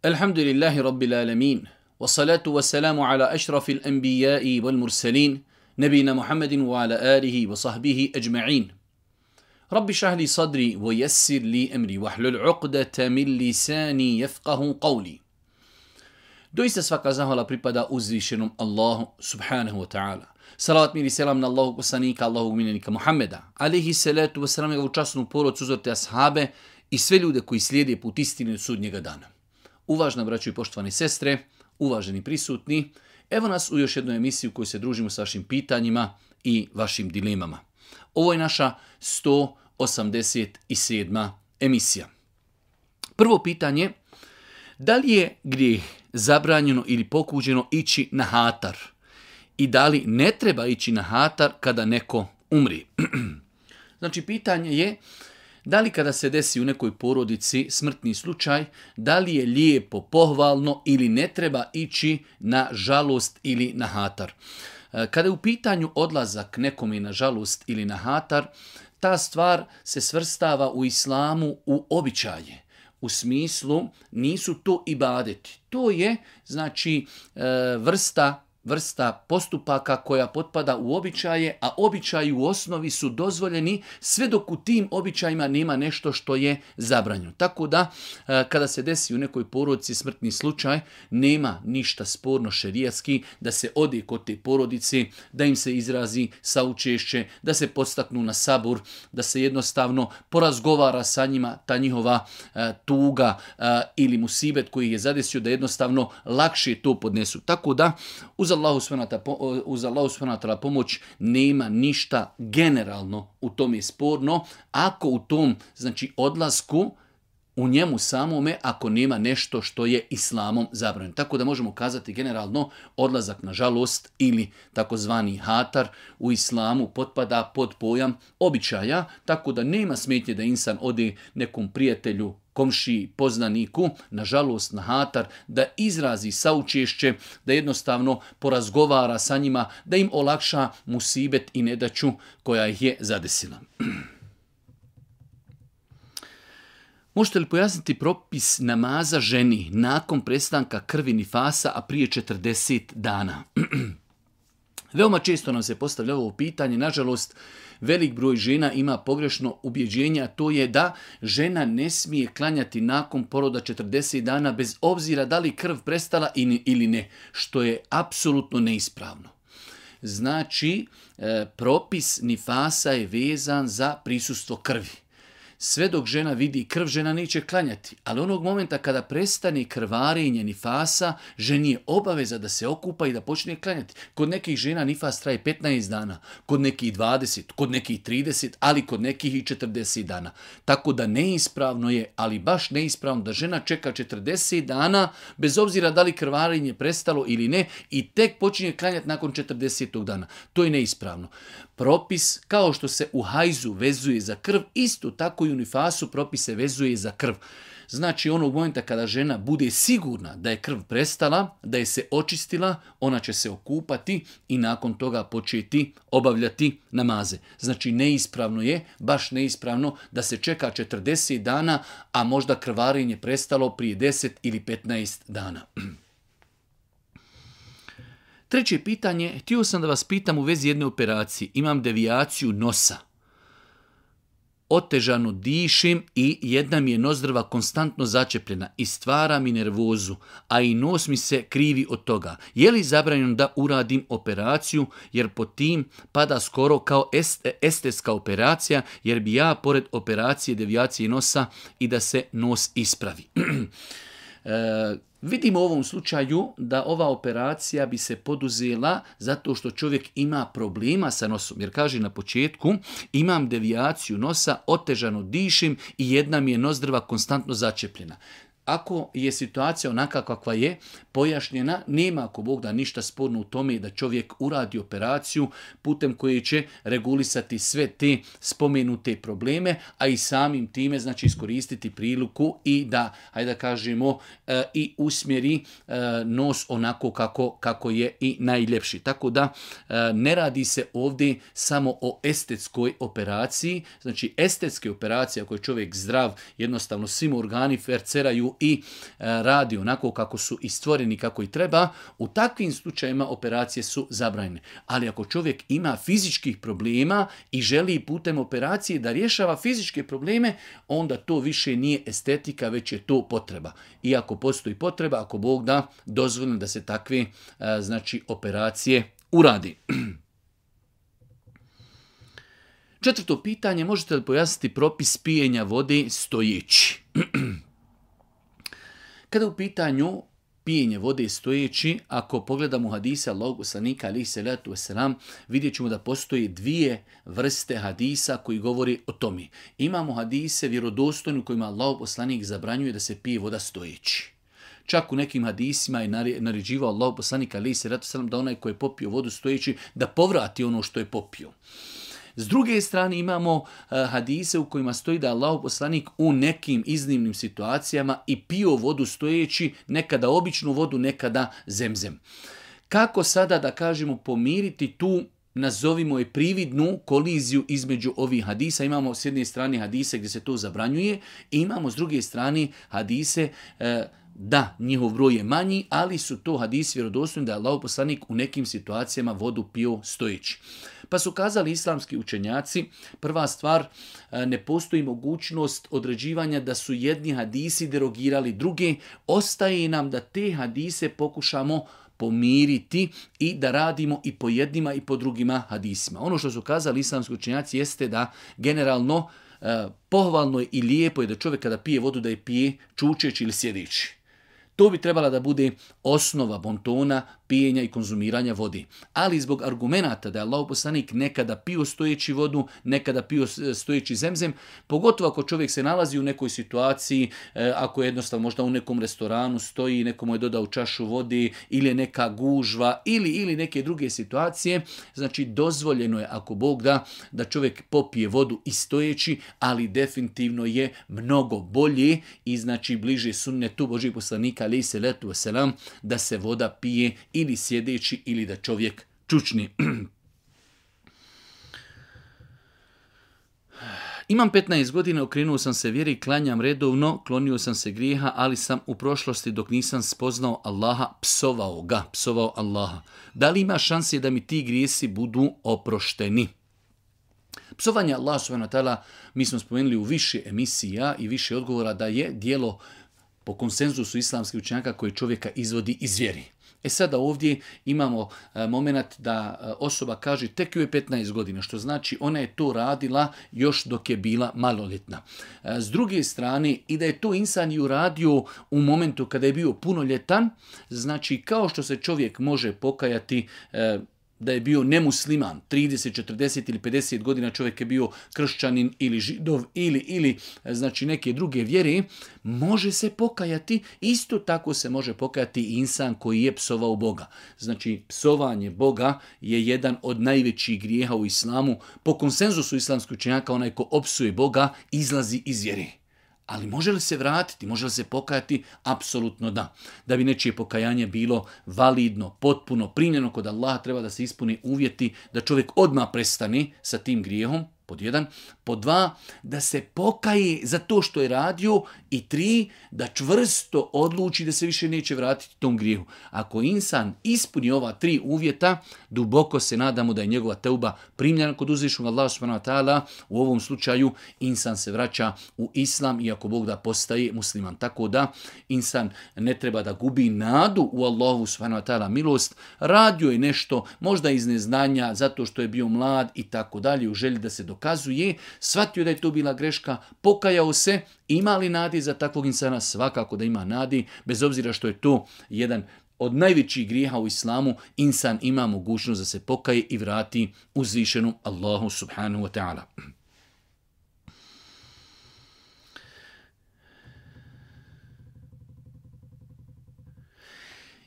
Alhamdulillahi Rabbil Alamin. Wassalatu wassalamu ala ašrafil anbiya'i wal mursalin. Nabina Muhammedin wa ala alihi wa sahbihi ajma'in. Rabbi šahli sadri wa yassir li amri wahlul uqdata min lisani yafqahu qawli. Doista svaka zahvala pripada uzvišenom Allahu subhanahu wa ta'ala. Salavat mir i selam na Allahog poslanika, Allahog miljenika Muhammeda, alihi salatu wasalam, njegovu časnu porodcu, uzorte ashabe i sve ljude koji slijede put istine od sudnjega dana. Uvažna braćo i poštovane sestre, uvaženi prisutni, evo nas u još jednoj emisiji u kojoj se družimo sa vašim pitanjima i vašim dilemama. Ovo je naša 187. emisija. Prvo pitanje, da li je grijeh zabranjeno ili pokuđeno ići na hatar? I da li ne treba ići na hatar kada neko umri? Znači, pitanje je, da li kada se desi u nekoj porodici smrtni slučaj, da li je lijepo, pohvalno ili ne treba ići na žalost ili na hatar? Kada je u pitanju odlazak nekome na žalost ili na hatar, ta stvar se svrstava u islamu u običaje. U smislu nisu to ibadeti. To je znači vrsta postupaka koja potpada u običaje, a običaji u osnovi su dozvoljeni sve dok u tim običajima nema nešto što je zabranjeno. Tako da kada se desi u nekoj porodici smrtni slučaj, nema ništa sporno šerijatski da se ode kod te porodice, da im se izrazi saučešće, da se podstaknu na sabur, da se jednostavno porazgovara sa njima ta njihova tuga ili musibet koji je zadesio, da jednostavno lakše to podnesu. Tako da uz Allahu subhanahu wa ta'ala pomoć nema ništa generalno u tome sporno, ako u tom znači odlasku u njemu samome, ako nema nešto što je islamom zabranjeno. Tako da možemo kazati generalno odlazak na žalost ili takozvani hatar u islamu potpada pod pojam običaja, tako da nema smetnje da insan ode nekom prijatelju, komšiji, poznaniku, nažalost na hatar, da izrazi saučešće, da jednostavno porazgovara sa njima, da im olakša musibet i nedaću koja ih je zadesila. Možete li pojasniti propis namaza ženi nakon prestanka krvi nifasa, a prije 40 dana? Veoma često nam se postavlja ovo pitanje, nažalost, velik broj žena ima pogrešno ubjeđenje, a to je da žena ne smije klanjati nakon poroda 40 dana bez obzira da li krv prestala ili ne, što je apsolutno neispravno. Znači, propis nifasa je vezan za prisustvo krvi. Sve dok žena vidi krv, žena neće klanjati. Ali onog momenta kada prestane krvarenje nifasa, ženi je obaveza da se okupa i da počne klanjati. Kod nekih žena nifas traje 15 dana, kod nekih 20, kod nekih 30, ali kod nekih i 40 dana. Tako da neispravno je, ali baš neispravno da žena čeka 40 dana, bez obzira da li krvarenje prestalo ili ne, i tek počinje klanjati nakon 40. dana. To je neispravno. Propis, kao što se u hajzu vezuje za krv, isto tako i u nifasu propis se vezuje za krv. Znači, onog momenta kada žena bude sigurna da je krv prestala, da je se očistila, ona će se okupati i nakon toga početi obavljati namaze. Znači, neispravno je, baš neispravno, da se čeka 40 dana, a možda krvarenje prestalo prije 10 ili 15 dana. Treće pitanje, htio sam da vas pitam u vezi jedne operacije. Imam devijaciju nosa. Otežano dišem i jedna mi je nozdrva konstantno začepljena i stvara mi nervozu, a i nos mi se krivi od toga. Je li zabranjeno da uradim operaciju, jer po tim pada skoro kao estetska operacija, jer bi ja pored operacije devijacije nosa i da se nos ispravi. Vidimo u ovom slučaju da ova operacija bi se poduzela zato što čovjek ima problema sa nosom. Jer kaže na početku, imam devijaciju nosa, otežano dišem i jedna mi je nozdrva konstantno začepljena. Ako je situacija onaka kakva je pojašnjena, nema ako Bog da ništa sporno u tome da čovjek uradi operaciju putem koje će regulisati sve te spomenute probleme, a i samim time znači iskoristiti priliku i da, hajde da kažemo, i usmjeri nos onako kako je i najljepši. Tako da ne radi se ovdje samo o estetskoj operaciji, znači estetske operacije ako je čovjek zdrav, jednostavno svim organi ferceraju i radi onako kako su i stvoreni, kako i treba, u takvim slučajima operacije su zabranjene. Ali ako čovjek ima fizičkih problema i želi putem operacije da rješava fizičke probleme, onda to više nije estetika, već je to potreba. I ako postoji potreba, ako Bog da, dozvoljeno da se takve operacije uradi. Četvrto pitanje, možete li pojasniti propis pijenja vode stojeći? Kada u pitanju pijenje vode stojeći, ako pogledamo hadise Allahog poslanika alejhi selatu vesselam, vidjet ćemo da postoje dvije vrste hadisa koji govori o tome. Imamo hadise vjerodostojne u kojima Allahog poslanik zabranjuje da se pije voda stojeći. Čak u nekim hadisima je naređivao Allahog poslanika alejhi selatu vesselam da onaj koji je popio vodu stojeći da povrati ono što je popio. S druge strane imamo hadise u kojima stoji da Allahov poslanik u nekim iznimnim situacijama i pio vodu stojeći, nekada običnu vodu, nekada zemzem. Kako sada da kažemo pomiriti tu, nazovimo je prividnu koliziju između ovih hadisa? Imamo s jedne strane hadise gdje se to zabranjuje i imamo s druge strane hadise da, njihov broj je manji, ali su to hadisi vjerodostojni da je Allahov poslanik u nekim situacijama vodu pio stojeći. Pa su kazali islamski učenjaci, prva stvar, ne postoji mogućnost određivanja da su jedni hadisi derogirali druge, ostaje nam da te hadise pokušamo pomiriti i da radimo i po jednima i po drugima hadisima. Ono što su kazali islamski učenjaci jeste da generalno pohvalno je i lijepo je da čovjek kada pije vodu da je pije čučeći ili sjedeći. To bi trebala da bude osnova bontona, pijenja i konzumiranja vode. Ali zbog argumenata da je Allahov poslanik nekada pio stojeći vodu, nekada pio stojeći zemzem, pogotovo ako čovjek se nalazi u nekoj situaciji, ako je jednostavno možda u nekom restoranu stoji, nekomu je dodao čašu vode ili je neka gužva ili neke druge situacije, znači dozvoljeno je ako Bog da čovjek popije vodu i stojeći, ali definitivno je mnogo bolje i znači bliže sunnetu Božjeg poslanika alejhi selatu vesselam da se voda pije ili sjedeći ili da čovjek čučni. Imam 15 godina, okrenuo sam se vjeri, klanjam redovno, klonio sam se grijeha, ali sam u prošlosti dok nisam spoznao Allaha psovao Allaha. Da li ima šanse da mi ti grijesi budu oprošteni? Psovanje Allaha subhanahu wa ta'ala, mi smo spomenuli u više emisija i više odgovora da je djelo po konsenzusu islamskih učenjaka koje čovjeka izvodi iz vjeri. Sada ovdje imamo moment da osoba kaže tek joj je 15 godina, što znači ona je to radila još dok je bila maloljetna. S druge strane, i da je to insan i uradio u momentu kada je bio punoljetan, znači kao što se čovjek može pokajati da je bio nemusliman, 30, 40 ili 50 godina čovjek je bio kršćanin ili židov ili znači neke druge vjere, može se pokajati, isto tako se može pokajati i insan koji je psovao Boga. Znači psovanje Boga je jedan od najvećih grijeha u islamu. Po konsenzusu islamskih učenjaka onaj ko opsuje Boga izlazi iz vjere. Ali može li se vratiti, može li se pokajati? Apsolutno da. Da bi nečije pokajanje bilo validno, potpuno, primljeno kod Allaha, treba da se ispuni uvjeti da čovjek odmah prestane sa tim grijehom, pod 1. Pod 2, da se pokaje za to što je radio i 3, da čvrsto odluči da se više neće vratiti tom grijehu. Ako insan ispuni ova 3 uvjeta, duboko se nadamo da je njegova teuba primljena kod uzvišenog Allaha subhanahu wa ta'ala. U ovom slučaju insan se vraća u islam i ako Bog da postaje musliman. Tako da insan ne treba da gubi nadu u Allahu subhanahu wa ta'ala milost. Radio je nešto, možda iz neznanja, zato što je bio mlad i tako dalje, u želji da se dokazuje, shvatio da je to bila greška, pokajao se, ima li nadi za takvog insana? Svakako da ima nadi, bez obzira što je to jedan od najvećih grijeha u islamu, insan ima mogućnost da se pokaje i vrati uzvišenom Allahu subhanahu wa ta'ala.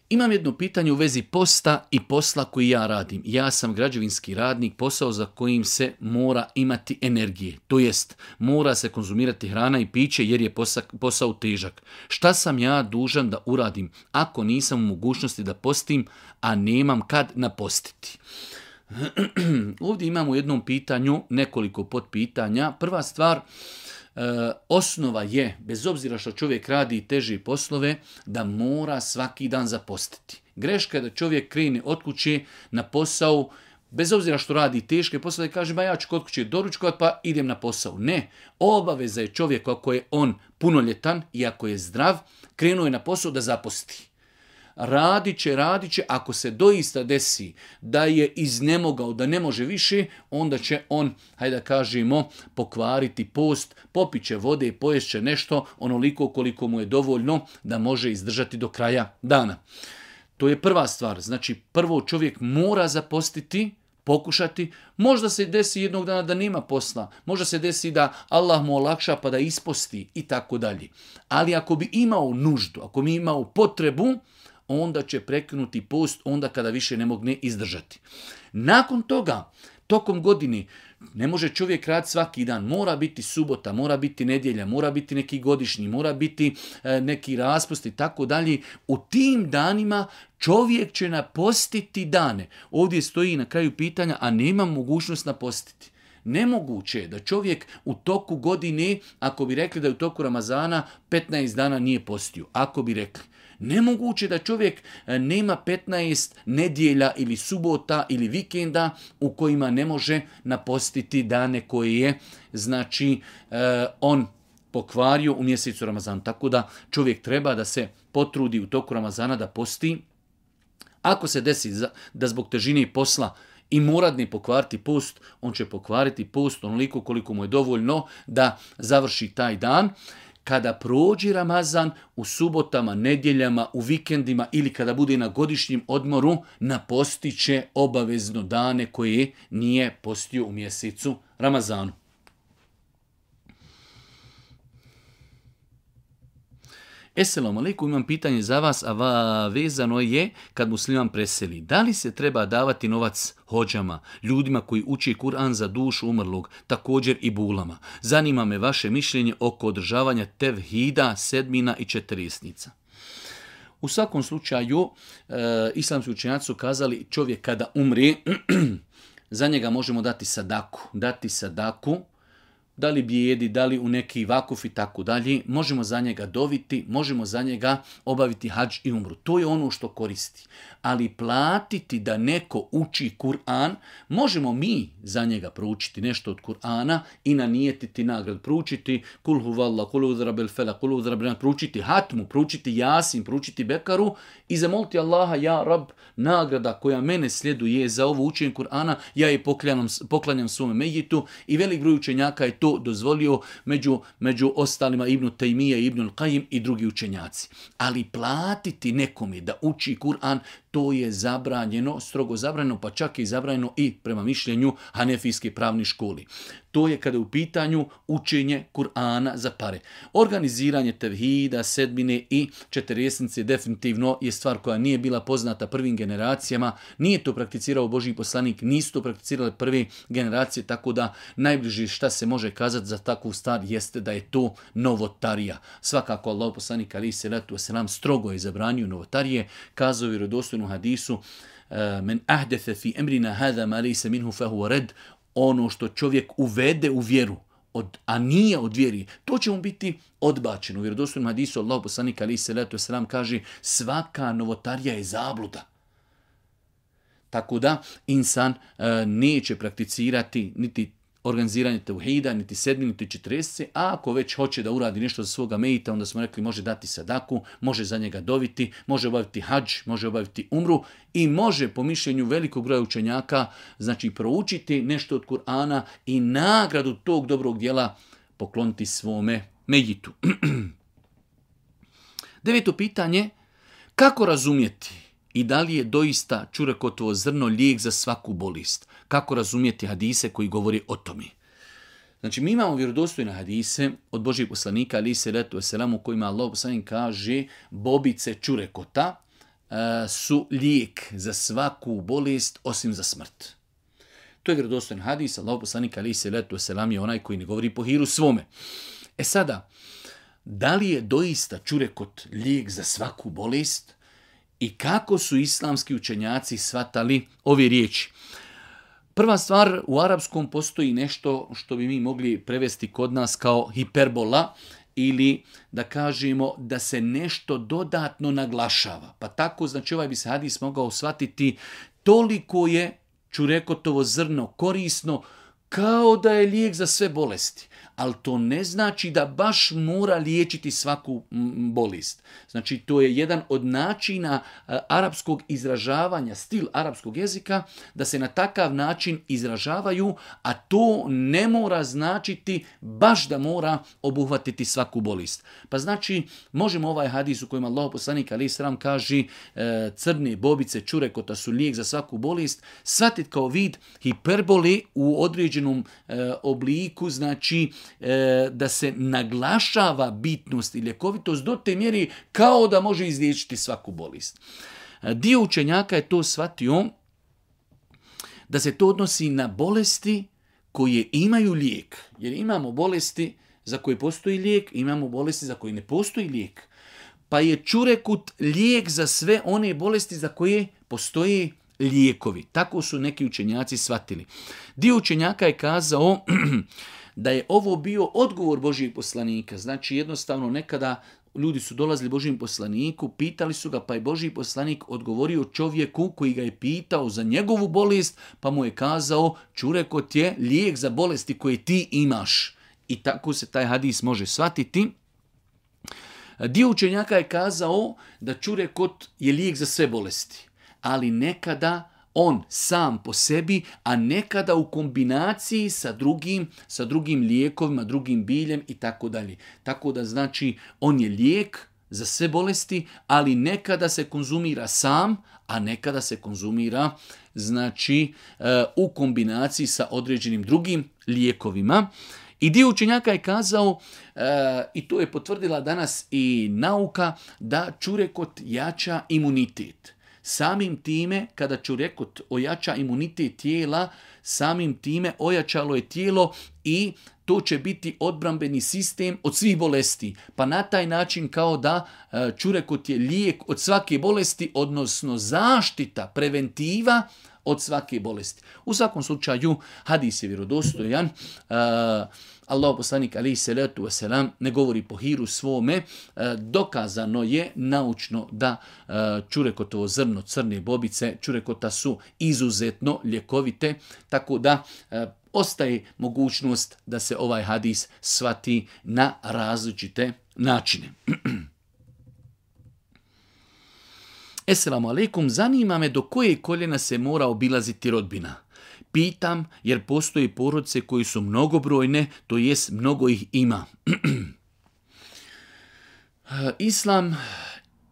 Imam jedno pitanje u vezi posta i posla koji ja radim. Ja sam građevinski radnik, posao za kojim se mora imati energije. To jest, mora se konzumirati hrana i piće jer je posao težak. Šta sam ja dužan da uradim ako nisam u mogućnosti da postim, a nemam kad napostiti? Ovdje imamo u jednom pitanju nekoliko potpitanja. Prva stvar, osnova je, bez obzira što čovjek radi teže poslove, da mora svaki dan zapostiti. Greška je da čovjek krene od kuće na posao, bez obzira što radi teške poslove, kaže, ja ću kod kuće doručkovat pa idem na posao. Ne, obaveza je čovjek ako je on punoljetan i ako je zdrav, krenuo je na posao da zaposti. Radit će, ako se doista desi da je iznemogao, da ne može više, onda će on, hajde da kažemo, pokvariti post, popit će vode, pojest će nešto, onoliko koliko mu je dovoljno da može izdržati do kraja dana. To je prva stvar. Znači, prvo čovjek mora zapostiti, pokušati. Možda se desi jednog dana da nema posla. Možda se desi da Allah mu olakša pa da isposti i tako dalje. Ali ako bi imao nuždu, ako bi imao potrebu, onda će prekinuti post onda kada više ne mogne izdržati. Nakon toga, tokom godine, ne može čovjek raditi svaki dan. Mora biti subota, mora biti nedjelja, mora biti neki godišnji, mora biti neki raspust i tako dalje. U tim danima čovjek će napostiti dane. Ovdje stoji na kraju pitanja, a nema mogućnost napostiti. Nemoguće je da čovjek u toku godine, ako bi rekli da je u toku Ramazana 15 dana nije postio, ako bi rekli. Nemoguće da čovjek nema 15 nedjelja ili subota ili vikenda u kojima ne može napostiti dane koje je, znači, on pokvario u mjesecu Ramazana. Tako da čovjek treba da se potrudi u toku Ramazana da posti. Ako se desi da zbog težine posla i mora ne pokvariti post, on će pokvariti post onoliko koliko mu je dovoljno da završi taj dan. Kada prođe Ramazan, u subotama, nedjeljama, u vikendima ili kada bude na godišnjem odmoru, napostit će obavezno dane koje nije postio u mjesecu Ramazanu. Esselamu alaikum, imam pitanje za vas, a vezano je kad musliman preseli. Da li se treba davati novac hođama, ljudima koji uče Kur'an za dušu umrlog, također i bulama? Zanima me vaše mišljenje oko održavanja tevhida, sedmina i četiresnica. U svakom slučaju, islamski učenjaci su kazali čovjek kada umri, za njega možemo dati sadaku, da li bijedi, da li u neki vakuf i tako dalje, možemo za njega doviti, možemo za njega obaviti hadž i umru. To je ono što koristi. Ali platiti da neko uči Kur'an, možemo mi za njega proučiti nešto od Kur'ana i nanijetiti nagradu. Proučiti kul huvallah, kul udra bil felak, kul udra bil, proučiti hatmu, proučiti jasin, proučiti bekaru i zamoliti Allaha, ja rab, nagrada koja mene sljeduje za ovo učenje Kur'ana, ja je poklanjam svome mejitu i velik broj učenjaka je to dozvolio, među ostalima Ibn Tejmija, Ibn Al-Qaim i drugi učenjaci. Ali platiti nekome da uči Kur'an, to je zabranjeno, strogo zabranjeno, pa čak i zabranjeno i prema mišljenju Hanefijske pravne škole. To je kada je u pitanju učenje Kur'ana za pare. Organiziranje tevhida, sedmine i četiresnice definitivno je stvar koja nije bila poznata prvim generacijama. Nije to prakticirao Božji poslanik, nisu to prakticirale prve generacije, tako da najbliže šta se može kazati za takvu stvar jeste da je to novotarija. Svakako Allah poslanik alejhi selatu vesselam strogo je zabranio novotarije, kazao u vjerodostojnom hadisu men ahdatha fi amrina hada ma laysa minhu fa huwa rad. Ono što čovjek uvede u vjeru, a nije od vjeri, to će mu biti odbačeno. U vjerodostojnom hadisu Allah poslanik alejhi selatu vesselam kaže svaka novotarija je zabluda. Tako da insan neće prakticirati niti organiziranje tevhida, niti sedmi, niti četiresce, a ako već hoće da uradi nešto za svoga mejita, onda smo rekli može dati sadaku, može za njega doviti, može obaviti hadž, može obaviti umru i može po mišljenju velikog broja učenjaka, znači proučiti nešto od Kur'ana i nagradu tog dobrog djela pokloniti svome mejitu. 9. pitanje, kako razumjeti i da li je doista čurekotovo zrno lijek za svaku bolest? Kako razumjeti hadise koji govori o tome? Znači, mi imamo vjerodostojne hadise od Božjeg poslanika, alejhi selatu vesselam, u kojima Allah poslanik kaže bobice čurekota su lijek za svaku bolest osim za smrt. To je vjerodostojan hadis, Allah poslanik, alejhi selatu vesselam, je onaj koji ne govori po hiru svome. Sada, da li je doista čurekot lijek za svaku bolest? I kako su islamski učenjaci shvatali ove riječi? Prva stvar, u arapskom postoji nešto što bi mi mogli prevesti kod nas kao hiperbola, ili da kažemo da se nešto dodatno naglašava. Pa tako, znači ovaj bi se hadis mogao shvatiti, toliko je čurekotovo zrno korisno kao da je lijek za sve bolesti. Ali to ne znači da baš mora liječiti svaku bolest. Znači to je jedan od načina arapskog izražavanja, stil arapskog jezika, da se na takav način izražavaju, a to ne mora značiti baš da mora obuhvatiti svaku bolest. Pa znači možemo ovaj hadis u kojem Allahov poslanik alejhi selam kaže crne bobice čurekota su lijek za svaku bolest, shvatiti kao vid hiperbole u određenom obliku, znači da se naglašava bitnost i ljekovitost do te mjeri kao da može izliječiti svaku bolest. Dio učenjaka je to shvatio da se to odnosi na bolesti koje imaju lijek. Jer imamo bolesti za koje postoji lijek, imamo bolesti za koje ne postoji lijek. Pa je čurekut lijek za sve one bolesti za koje postoji lijekovi. Tako su neki učenjaci shvatili. Dio učenjaka je kazao da je ovo bio odgovor Božijeg poslanika. Znači jednostavno nekada ljudi su dolazili Božijem poslaniku, pitali su ga, pa je Božji poslanik odgovorio čovjeku koji ga je pitao za njegovu bolest, pa mu je kazao čurekot je lijek za bolesti koje ti imaš. I tako se taj hadis može shvatiti. Dio učenjaka je kazao da čurekot je lijek za sve bolesti, ali nekada on sam po sebi, a nekada u kombinaciji sa drugim lijekovima, drugim biljem i tako dalje. Tako da znači on je lijek za sve bolesti, ali nekada se konzumira sam, a nekada se konzumira znači u kombinaciji sa određenim drugim lijekovima. I dio učenjaka je kazao, i to je potvrdila danas i nauka, da čurekot jača imunitet. Samim time, kada čurekot ojača imunitet tijela, samim time ojačalo je tijelo i to će biti odbrambeni sistem od svih bolesti. Pa na taj način kao da čurekot je lijek od svake bolesti, odnosno zaštita, preventiva od svake bolesti. U svakom slučaju, hadis je vjerodostojan. Allahov poslanik alejhi selatu vesselam ne govori po hiru svome. Dokazano je naučno da čurekotovo zrno, crne bobice čurekota su izuzetno ljekovite, tako da ostaje mogućnost da se ovaj hadis shvati na različite načine. Esselamu alaikum, zanima me do koje koljena se mora obilaziti rodbina. Pitam jer postoje porodice koji su mnogobrojne, to jest mnogo ih ima. Islam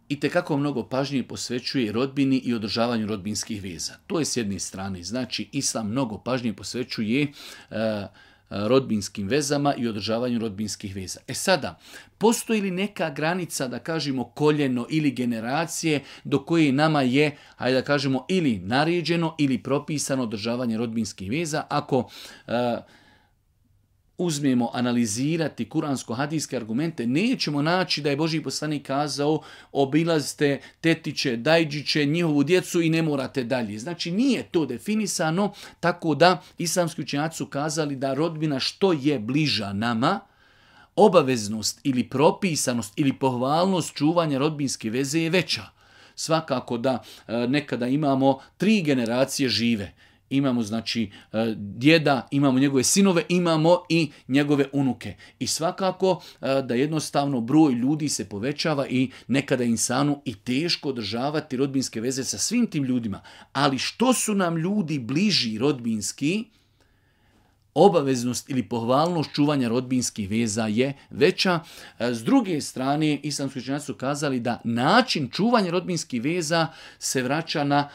itekako mnogo pažnje posvećuje rodbini i održavanju rodbinskih veza. To je s jedne strane. Znači, Islam mnogo pažnje posvećuje rodbinskim vezama i održavanju rodbinskih veza. Sada, postoji li neka granica, da kažemo koljeno ili generacije, do koje nama je, hajde da kažemo, ili naređeno ili propisano održavanje rodbinskih veza? Ako uzmemo analizirati kuransko-hadijske argumente, nećemo naći da je Božji poslanik kazao obilazite tetiće, dajđiće, njihovu djecu i ne morate dalje. Znači nije to definisano, tako da islamski učenjaci su kazali da rodbina što je bliža nama, obaveznost ili propisanost ili pohvalnost čuvanja rodbinske veze je veća. Svakako da nekada imamo 3 generacije žive. Imamo znači djeda, imamo njegove sinove, imamo i njegove unuke. I svakako da jednostavno broj ljudi se povećava i nekada insanu i teško održavati rodbinske veze sa svim tim ljudima. Ali što su nam ljudi bliži rodbinski, obaveznost ili pohvalnost čuvanja rodbinskih veza je veća. S druge strane, islamski učenjaci su kazali da način čuvanja rodbinskih veza se vraća na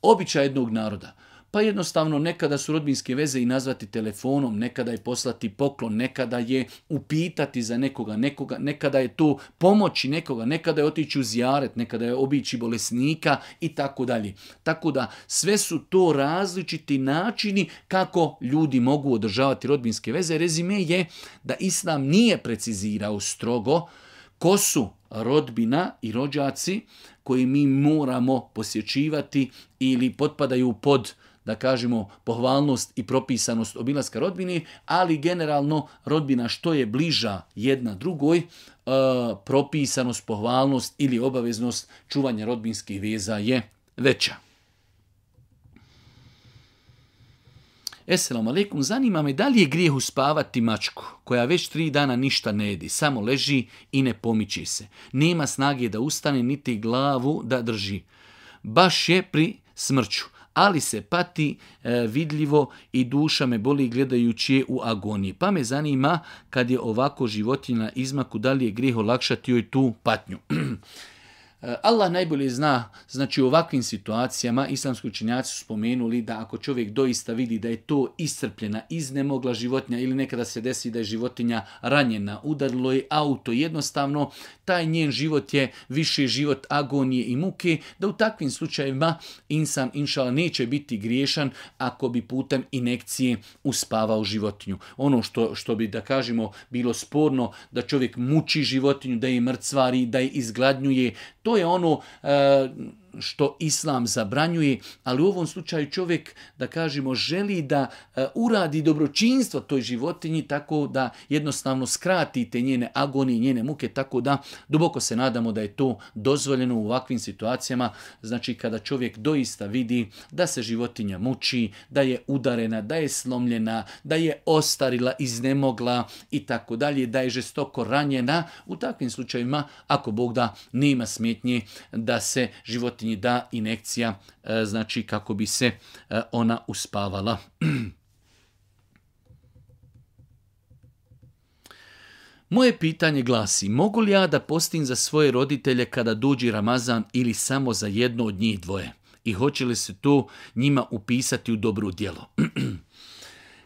običaj jednog naroda. Pa jednostavno nekada su rodbinske veze i nazvati telefonom, nekada je poslati poklon, nekada je upitati za nekoga, nekada je to pomoći nekoga, nekada je otići u zijaret, nekada je obići bolesnika i tako dalje. Tako da sve su to različiti načini kako ljudi mogu održavati rodbinske veze. Rezime je da Islam nije precizirao strogo ko su rodbina i rođaci koji mi moramo posjećivati ili potpadaju pod, da kažemo, pohvalnost i propisanost obilaska rodbine, ali generalno rodbina što je bliža jedna drugoj, propisanost, pohvalnost ili obaveznost čuvanja rodbinskih veza je veća. Esselamu alaikum, zanima me da li je grijeh uspavati mačku koja već 3 dana ništa ne jedi, samo leži i ne pomiče se. Nema snage da ustane niti glavu da drži. Baš je pri smrću, ali se pati vidljivo i duša me boli gledajući je u agoniji. Pa me zanima kad je ovako životinja na izmaku, da li je grijeh olakšati joj tu patnju. Allah najbolje zna, znači u ovakvim situacijama islamski učenjaci su spomenuli da ako čovjek doista vidi da je to iscrpljena, iznemogla životinja ili nekada se desi da je životinja ranjena, udarilo je auto, jednostavno taj njen život je više život agonije i muke, da u takvim slučajevima insan inšala neće biti griješan ako bi putem injekcije uspavao životinju. Ono što bi, da kažemo, bilo sporno da čovjek muči životinju, da je mrcvari, da je izgladnjuje, to je ono što islam zabranjuje, ali u ovom slučaju čovjek, da kažemo, želi da uradi dobročinstvo toj životinji tako da jednostavno skrati te njene agonije, njene muke, tako da duboko se nadamo da je to dozvoljeno u ovakvim situacijama, znači kada čovjek doista vidi da se životinja muči, da je udarena, da je slomljena, da je ostarila, iznemogla i tako dalje, da je žestoko ranjena, u takvim slučajevima, ako Bog da, nema smetnje da se životinji da injekcija, znači kako bi se ona uspavala. Moje pitanje glasi, mogu li ja da postim za svoje roditelje kada dođe Ramazan ili samo za jedno od njih dvoje? I hoće li se to njima upisati u dobro djelo?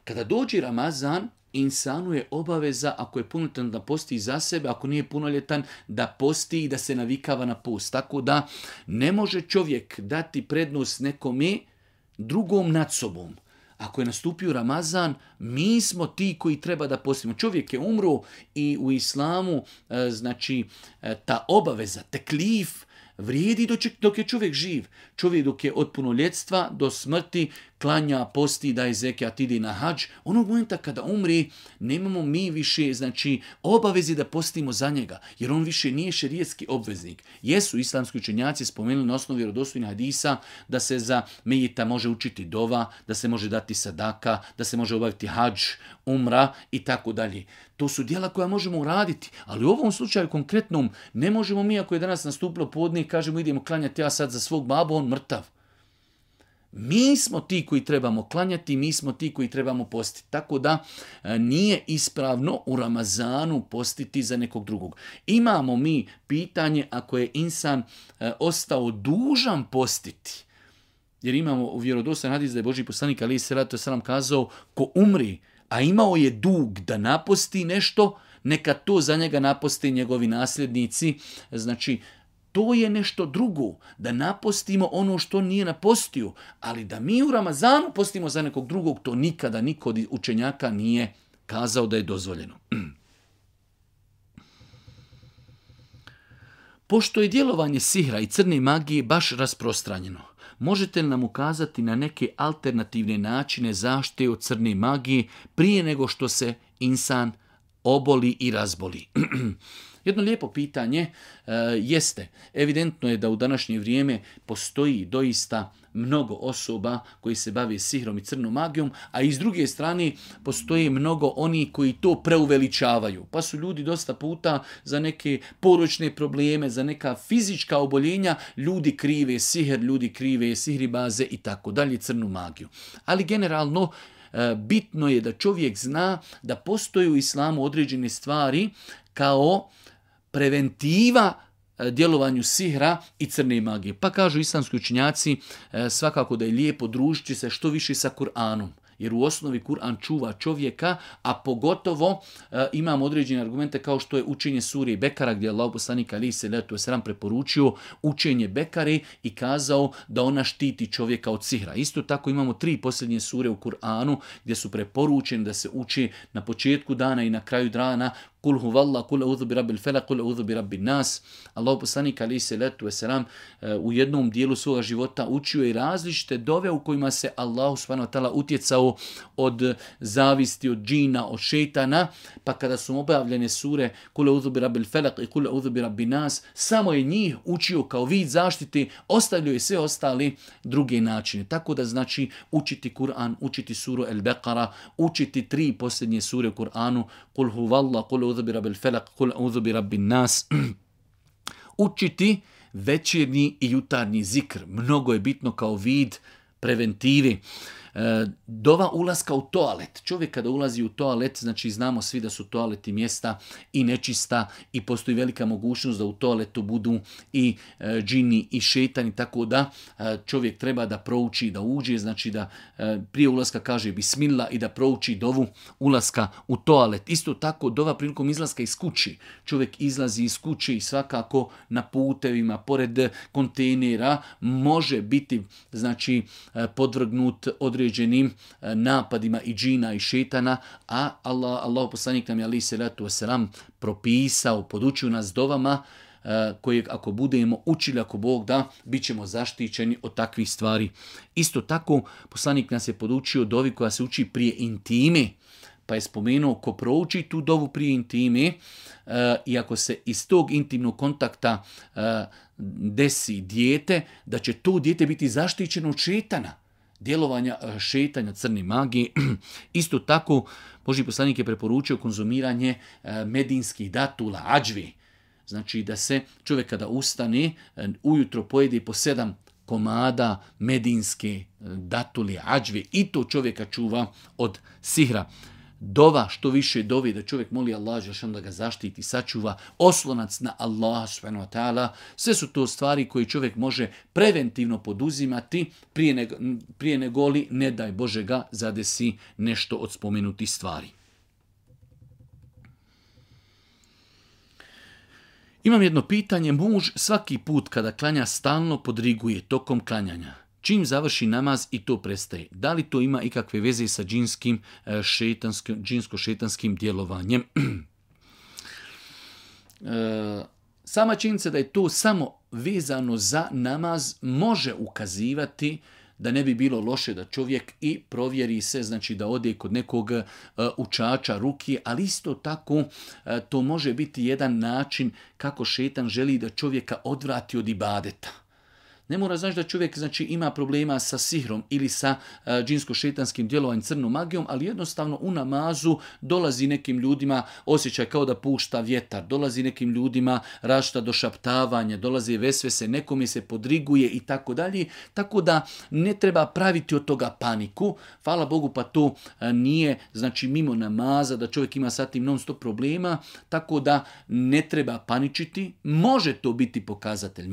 Kada dođe Ramazan, insanu je obaveza, ako je punoljetan, da posti za sebe, ako nije punoljetan, da posti i da se navikava na post. Tako da ne može čovjek dati prednost nekome drugom nad sobom. Ako je nastupio Ramazan, mi smo ti koji treba da postimo. Čovjek je umro i u islamu, znači, ta obaveza, teklif, vrijedi dok je čovjek živ. Čovjek dok je od punoljetstva do smrti klanja, posti, daje zekijat, ide na hadž. Onog momenta kada umri, nemamo mi više, znači, obavezi da postimo za njega, jer on više nije šerijetski obveznik. Jesu islamski učenjaci spomenuli na osnovi vjerodostojnih hadisa da se za mejita može učiti dova, da se može dati sadaka, da se može obaviti hadž, umra i tako dalje. To su djela koja možemo uraditi, ali u ovom slučaju konkretnom ne možemo mi, ako je danas nastupilo podne i kažemo idemo klanjati ja sad za svog babu, on mrtav. Mi smo ti koji trebamo klanjati, mi smo ti koji trebamo postiti. Tako da nije ispravno u Ramazanu postiti za nekog drugog. Imamo mi pitanje ako je insan ostao dužan postiti. Jer imamo u vjerodostojnom hadisu da je Božji poslanik alejhi selatu selam kazao ko umri, a imao je dug da naposti nešto, neka to za njega naposte njegovi nasljednici. Znači, to je nešto drugo, da napostimo ono što nije napostio, ali da mi u Ramazanu postimo za nekog drugog, to nikada niko od učenjaka nije kazao da je dozvoljeno. Pošto je djelovanje sihra i crne magije baš rasprostranjeno, možete li nam ukazati na neke alternativne načine zaštite od crne magije prije nego što se insan oboli i razboli? Jedno lijepo pitanje jeste, evidentno je da u današnje vrijeme postoji doista mnogo osoba koji se bave sihrom i crnom magijom, a i s druge strane postoji mnogo oni koji to preuveličavaju. Pa su ljudi dosta puta za neke poročne probleme, za neka fizička oboljenja, ljudi krive sihr, ljudi krive sihribaze i tako dalje, crnu magiju. Ali generalno bitno je da čovjek zna da postoje u islamu određene stvari kao preventiva djelovanju sihra i crne magije. Pa kažu islamski učenjaci svakako da je lijepo družiti se što više sa Kur'anom. Jer u osnovi Kur'an čuva čovjeka, a pogotovo imam određene argumente kao što je učenje sure Bekara, gdje je Allah poslanik alejhi selatu vesselam preporučio učenje Bekare i kazao da ona štiti čovjeka od sihra. Isto tako imamo 3 posljednje sure u Kur'anu gdje su preporučene da se uči na početku dana i na kraju dana kul huvallah, kul a'udhu bi rabbil falaq, kul a'udhu bi rabbin nas. Allahu poslanik alejhi salatu vesselam u jednom dijelu svoga života učio i različite dove u kojima se Allahu subhanahu wa ta'ala utjecao od zavisti, od džina, od šejtana, pa kada su objavljene sure kul a'udhu bi rabbil falaq i kul a'udhu bi rabbin nas, samo je njih učio kao vid zaštite, ostavljaju sve ostale druge načine. Tako da znači učiti Kur'an, učiti suru El-Beqara, učiti 3 posljednje sure u Kur'anu, kul huvallah, kul a'udhu bi rabbil falaq, kul a'udhu bi rabbin nas. Učiti večernji i jutarnji zikr. Mnogo je bitno kao vid preventive. Dova ulaska u toalet. Čovjek kada ulazi u toalet, znači znamo svi da su toaleti mjesta i nečista i postoji velika mogućnost da u toaletu budu i džini i šejtani, tako da čovjek treba da prouči, da uđe, znači da prije ulaska kaže bismillah i da prouči dovu ulaska u toalet. Isto tako dova prilikom izlaska iz kući. Čovjek izlazi iz kući i svakako na putevima, pored kontejnera, može biti znači podvrgnut određenim napadima i džina i šetana, a Allah poslanik nam je alejhi salatu vesselam propisao, podučio nas dovama koje ako budemo učili, ako Bog da, bit ćemo zaštićeni od takvih stvari. Isto tako poslanik nas je podučio dovi koja se uči prije intime, pa je spomenuo ko prouči tu dovu prije intime i ako se iz tog intimnog kontakta desi dijete, da će to dijete biti zaštićeno od šetana, djelovanja šetanja, crne magije. Isto tako, Božji poslanik je preporučio konzumiranje medinskih datula, adžvi. Znači da se čovjek kada ustane, ujutro pojede po 7 komada medinske datuli, adžvi, i to čovjeka čuva od sihra. Dova, što više dovi, da čovjek moli Allah da ga zaštiti, sačuva, oslonac na Allah subhanahu wa ta'ala. Sve su to stvari koje čovjek može preventivno poduzimati prije nego li, ne daj Bože, ga zadesi nešto od spomenutih stvari. Imam jedno pitanje. Muž svaki put kada klanja stalno podriguje tokom klanjanja. Čim završi namaz i to prestaje. Da li to ima ikakve veze sa džinsko-šetanskim djelovanjem? Sama činjenica da je to samo vezano za namaz može ukazivati da ne bi bilo loše da čovjek i provjeri se, znači da ode kod nekog učača ruki, ali isto tako to može biti jedan način kako šetan želi da čovjeka odvrati od ibadeta. Ne mora znači da čovjek znači, ima problema sa sihrom ili sa džinsko-šetanskim djelovanjem, crnom magijom, ali jednostavno u namazu dolazi nekim ljudima osjećaj kao da pušta vjetar, dolazi nekim ljudima različita došaptavanja, dolazi vesvese, nekome se podriguje i tako dalje. Tako da ne treba praviti od toga paniku. Hvala Bogu, pa to nije znači mimo namaza da čovjek ima sa tim non stop problema, tako da ne treba paničiti. Može to biti pokazatelj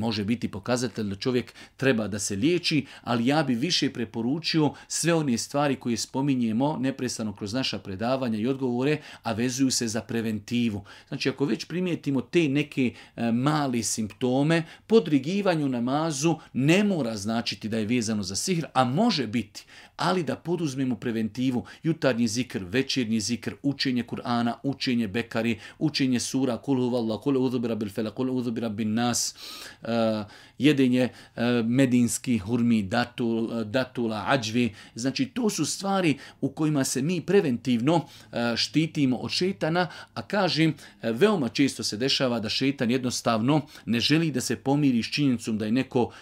da čovjek treba da se liječi, ali ja bi više preporučio sve one stvari koje spominjemo neprestano kroz naša predavanja i odgovore, a vezuju se za preventivu. Znači, ako već primijetimo te neke mali simptome, podrigivanje u namazu ne mora značiti da je vezano za sihr, a može biti, ali da poduzmemo preventivu, jutarnji zikr, večernji zikr, učenje Kur'ana, učenje Bekari, učenje sura, kul huvallah, kul a'udhu bi rabbil falaq, kul a'udhu bi rabbin nas, jedenje medinskih hurmi, datula, adžvi. Znači, to su stvari u kojima se mi preventivno štitimo od šetana, a kažem, veoma često se dešava da šetan jednostavno ne želi da se pomiri s činjenicom da je neko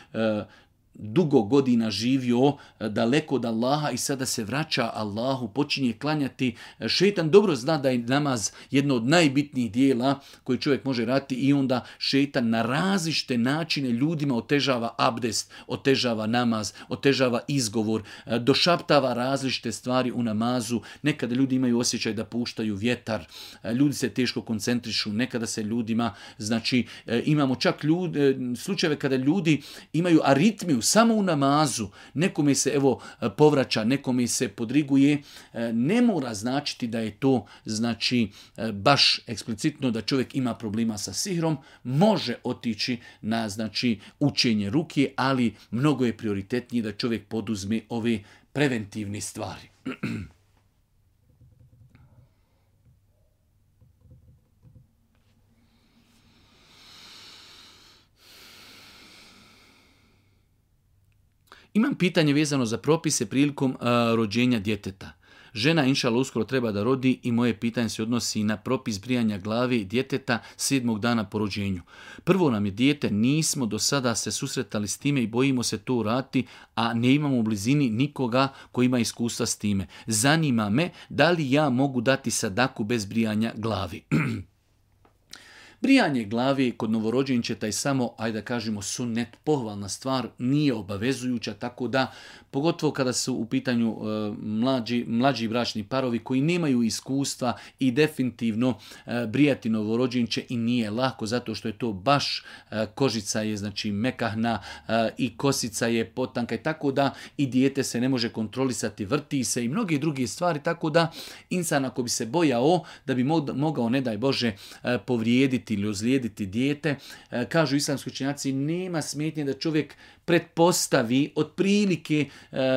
dugo godina živio daleko od Allaha i sada se vraća Allahu, počinje klanjati. Šetan dobro zna da je namaz jedno od najbitnijih dijela koje čovjek može raditi i onda šetan na različite načine ljudima otežava abdest, otežava namaz, otežava izgovor, došaptava različite stvari u namazu. Nekada ljudi imaju osjećaj da puštaju vjetar, ljudi se teško koncentrišu, nekada se ljudima, znači imamo čak slučajeve kada ljudi imaju aritmiju samo u namazu, nekome se povraća, nekome se podriguje, ne mora značiti da je to znači baš eksplicitno da čovjek ima problema sa sihrom, može otići na znači učenje ruke, ali mnogo je prioritetnije da čovjek poduzme ove preventivne stvari. Imam pitanje vezano za propise prilikom rođenja djeteta. Žena, inšallah, uskoro treba da rodi i moje pitanje se odnosi na propis brijanja glave djeteta 7. dana po rođenju. Prvo nam je dijete, nismo do sada se susretali s time i bojimo se to uraditi, a ne imamo u blizini nikoga koji ima iskustva s time. Zanima me da li ja mogu dati sadaku bez brijanja glavi. Brijanje glave kod novorođenčeta je samo, ajde da kažemo, sunnet, pohvalna stvar, nije obavezujuća, tako da, pogotovo kada su u pitanju mlađi bračni parovi koji nemaju iskustva i definitivno brijati novorođenče i nije lako, zato što je to baš kožica je znači mekahna i kosica je potanka i tako da i dijete se ne može kontrolisati, vrti se i mnoge druge stvari, tako da insan ako bi se bojao da bi mogao, ne daj Bože, povrijediti ili ozlijediti dijete, kažu islamski učenjaci, nema smetnje da čovjek pretpostavi otprilike,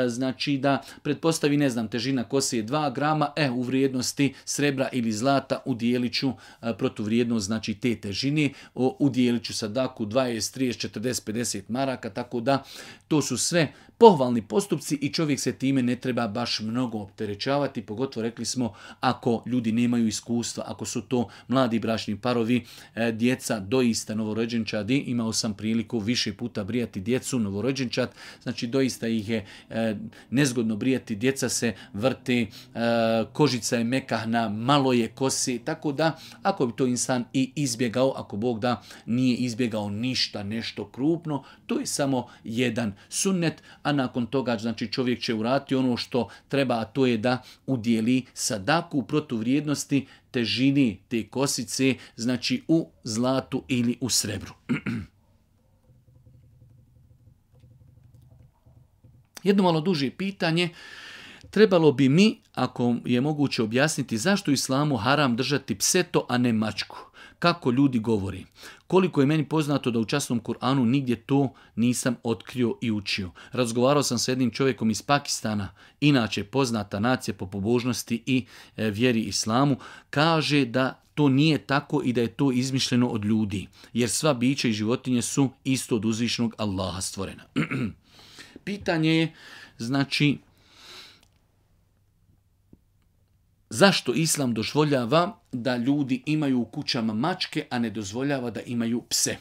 znači da pretpostavi, ne znam, težina kose je 2 grama, u vrijednosti srebra ili zlata udjelit ću protuvrijednost, znači te težine, udjelit ću sadaku 20, 30, 40, 50 maraka, tako da to su sve pohvalni postupci i čovjek se time ne treba baš mnogo opterećavati, pogotovo rekli smo ako ljudi nemaju iskustva, ako su to mladi bračni parovi, djeca doista novorođenčadi, imao sam priliku više puta brijati djecu, novorođenčad, znači doista ih je nezgodno brijati, djeca se vrte, kožica je mekahna, malo je kosi, tako da ako bi to insan i izbjegao, ako Bog da nije izbjegao ništa, nešto krupno, to je samo jedan sunnet, a nakon toga znači čovjek će uraditi ono što treba, a to je da udjeli sadaku protuvrijednosti težini te kosice, znači u zlatu ili u srebru. Jedno malo duže pitanje. Trebalo bi mi, ako je moguće objasniti, zašto u islamu haram držati pseto, a ne mačku? Kako ljudi govori? Koliko je meni poznato da u časnom Kur'anu nigdje to nisam otkrio i učio. Razgovarao sam sa jednim čovjekom iz Pakistana, inače poznata nacija po pobožnosti i vjeri islamu, kaže da to nije tako i da je to izmišljeno od ljudi, jer sva bića i životinje su isto od uzvišenog Allaha stvorena. Pitanje je, znači, zašto islam dozvoljava da ljudi imaju u kućama mačke, a ne dozvoljava da imaju pse?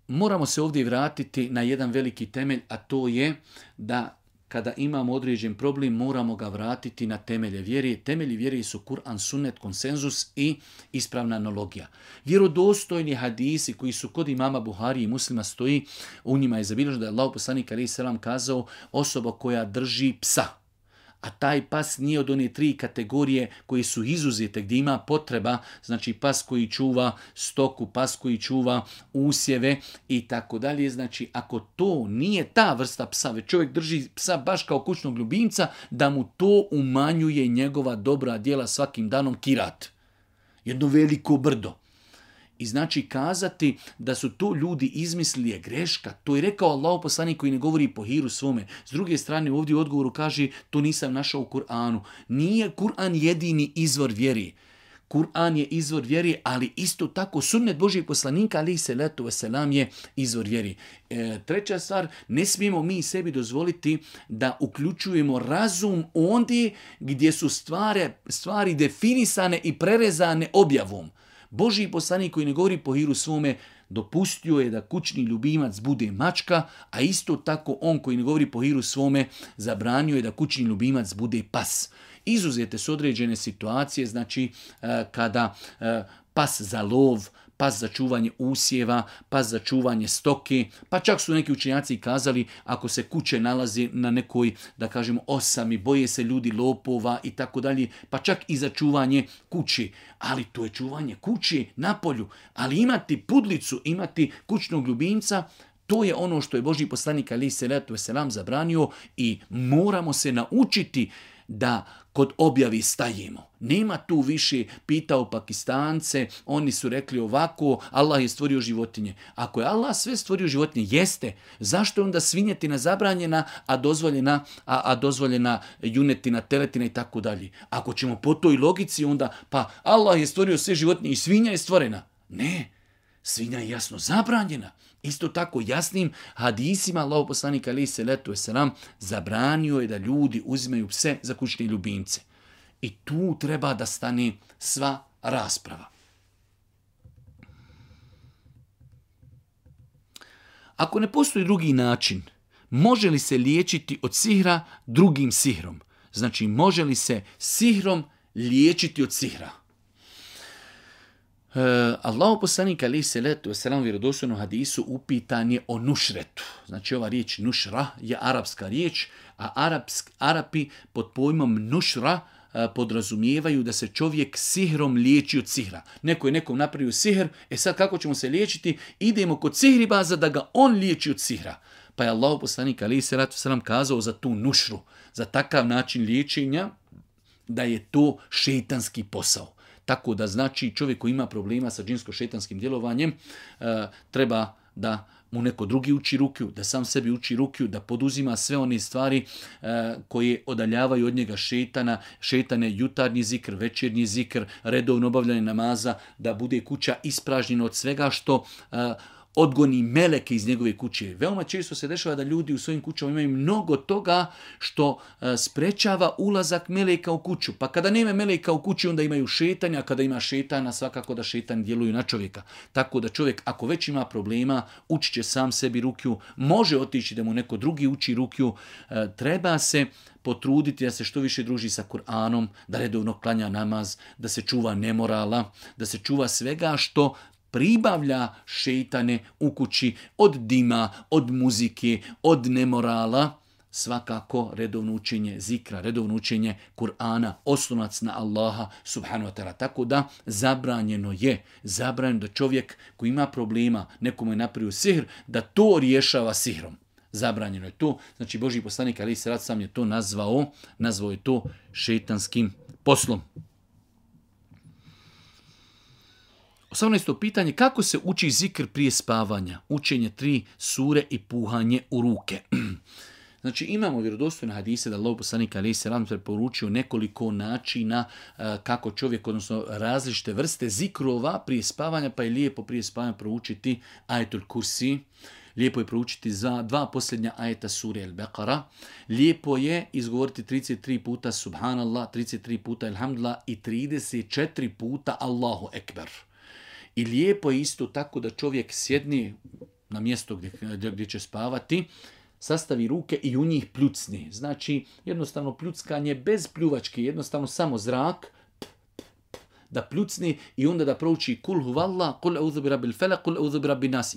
Moramo se ovdje vratiti na jedan veliki temelj, a to je da kada imamo određen problem, moramo ga vratiti na temelje vjere. Temelji vjere su Kur'an, sunnet, konsenzus i ispravna analogija. Vjerodostojni hadisi koji su kod imama Buhari i Muslima stoji, u njima je zabilježeno da je Allahov poslanik alejhi selam kazao, osoba koja drži psa, a taj pas nije od one 3 kategorije koji su izuzete, gdje ima potreba, znači pas koji čuva stoku, pas koji čuva usjeve i tako dalje. Znači, ako to nije ta vrsta psa, već čovjek drži psa baš kao kućnog ljubimca, da mu to umanjuje njegova dobra djela svakim danom kirat. Jedno veliko brdo. I znači kazati da su to ljudi izmislili je greška. To je rekao Allahov poslanik koji ne govori po hiru svome. S druge strane ovdje u odgovoru kaže to nisam našao u Kur'anu. Nije Kur'an jedini izvor vjeri. Kur'an je izvor vjeri, ali isto tako sunnet Božijeg poslanika alejhi selatu vesselam je izvor vjeri. Treća stvar, ne smijemo mi sebi dozvoliti da uključujemo razum ondje gdje su stvari definisane i prerezane objavom. Božji poslanik koji ne govori po hiru svome dopustio je da kućni ljubimac bude mačka, a isto tako on koji ne govori po hiru svome zabranio je da kućni ljubimac bude pas. Izuzete su određene situacije, znači kada pas za lov, pas za čuvanje usjeva, pas za čuvanje stoke, pa čak su neki učenjaci kazali ako se kuće nalazi na nekoj, da kažemo, osami, boje se ljudi lopova i tako dalje, pa čak i za čuvanje kući. Ali to je čuvanje kući na polju. Ali imati pudlicu, imati kućnog ljubimca, to je ono što je Božji poslanik alejhi selatu vesselam zabranio i moramo se naučiti da kod objavi stajemo. Nema tu više, pitao Pakistance, oni su rekli ovako, Allah je stvorio životinje. Ako je Allah sve stvorio životinje, jeste. Zašto je onda svinjetina zabranjena, a dozvoljena junetina, teletina i tako dalje? Ako ćemo po toj logici, onda pa Allah je stvorio sve životinje i svinja je stvorena. Ne. Svinja je jasno zabranjena. Isto tako jasnim hadisima Allahov poslanika alejhi selatu vesselam zabranio je da ljudi uzimaju pse za kućne ljubimce. I tu treba da stane sva rasprava. Ako ne postoji drugi način, može li se liječiti od sihra drugim sihrom? Znači, može li se sihrom liječiti od sihra? Allahov poslanik alejhi selatu vesselam u vjerodostojnom hadisu upitan je o nušretu. Znači, ova riječ nušra je arapska riječ, a Arapi pod pojmom nušra podrazumijevaju da se čovjek sihrom liječi od sihra. Neko je nekom napravio sihr, sad kako ćemo se liječiti? Idemo kod sihribaza da ga on liječi od sihra. Pa je Allahov poslanik alejhi selatu vesselam kazao za tu nušru, za takav način liječenja, da je to šejtanski posao. Tako da znači čovjek koji ima problema sa džinsko-šejtanskim djelovanjem treba da mu neko drugi uči rukiju, da sam sebi uči rukiju, da poduzima sve one stvari koje odaljavaju od njega šejtana. Šejtan je jutarnji zikr, večernji zikr, redovno obavljanje namaza, da bude kuća ispražnjena od svega što odgoni meleke iz njegove kuće. Veoma često se dešava da ljudi u svojim kućama imaju mnogo toga što sprečava ulazak meleka u kuću. Pa kada nema meleka u kući, onda imaju šetanja, a kada ima šetana, svakako da šetani djeluju na čovjeka. Tako da čovjek, ako već ima problema, učit će sam sebi rukiju, može otići da mu neko drugi uči rukiju, treba se potruditi da se što više druži sa Kur'anom, da redovno klanja namaz, da se čuva nemorala, da se čuva svega što pribavlja šejtane u kući od dima, od muzike, od nemorala. Svakako redovno učenje zikra, redovno učenje Kur'ana, oslonac na Allaha subhanahu wa ta'ala. Tako da zabranjeno da čovjek koji ima problema, nekomu je napravio sihr, da to rješava sihrom. Zabranjeno je to. Znači Božji poslanik alejhi selatu vesselam je to nazvao je to šejtanskim poslom. 18. pitanje, kako se uči zikr prije spavanja? Učenje 3 sure i puhanje u ruke. Znači imamo vjerodostojne hadise da Allahov poslanik alejhi selam preporučio nekoliko načina kako čovjek, odnosno različite vrste zikrova prije spavanja, pa je lijepo prije spavanja proučiti ajetul kursi. Lijepo je proučiti za 2 posljednja ajeta sure Al-Baqara. Lijepo je izgovoriti 33 puta Subhanallah, 33 puta Alhamdulillah i 34 puta Allahu Ekber. I lijepo je isto tako da čovjek sjedni na mjesto gdje će spavati, sastavi ruke i u njih pljucni. Znači jednostavno pljuckanje bez pljuvačke, jednostavno samo zrak, da pljucni i onda da prouči kul huvallah, kul eudhu bi rabbil felak, kul eudhu bi rabbin nas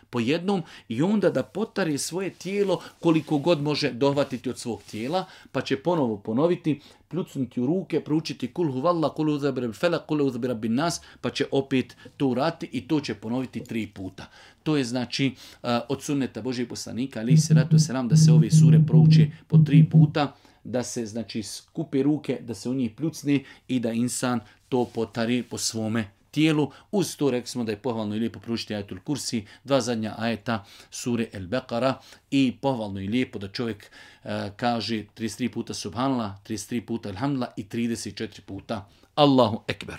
po jednom i onda da potari svoje tijelo koliko god može dohvatiti od svog tijela, pa će ponovo ponoviti, pljucnuti u ruke, proučiti kul huvallah, kul eudhu bi rabbil felak, kul eudhu bi rabbin nas, pa će opet to uraditi i to će ponoviti 3 puta. To je znači od sunneta Božijeg poslanika alejhi selatu vesselam da se ove sure prouče po 3 puta, da se znači skupe ruke, da se u njih pljucne i da insan to potari po svome tijelu. Uz to rekli smo da je pohvalno i lijepo proučiti ajetul kursi, 2 zadnja ajeta sure Al-Baqara i pohvalno i lijepo da čovjek kaže 33 puta Subhanallah, 33 puta Alhamdulillah i 34 puta Allahu Ekber.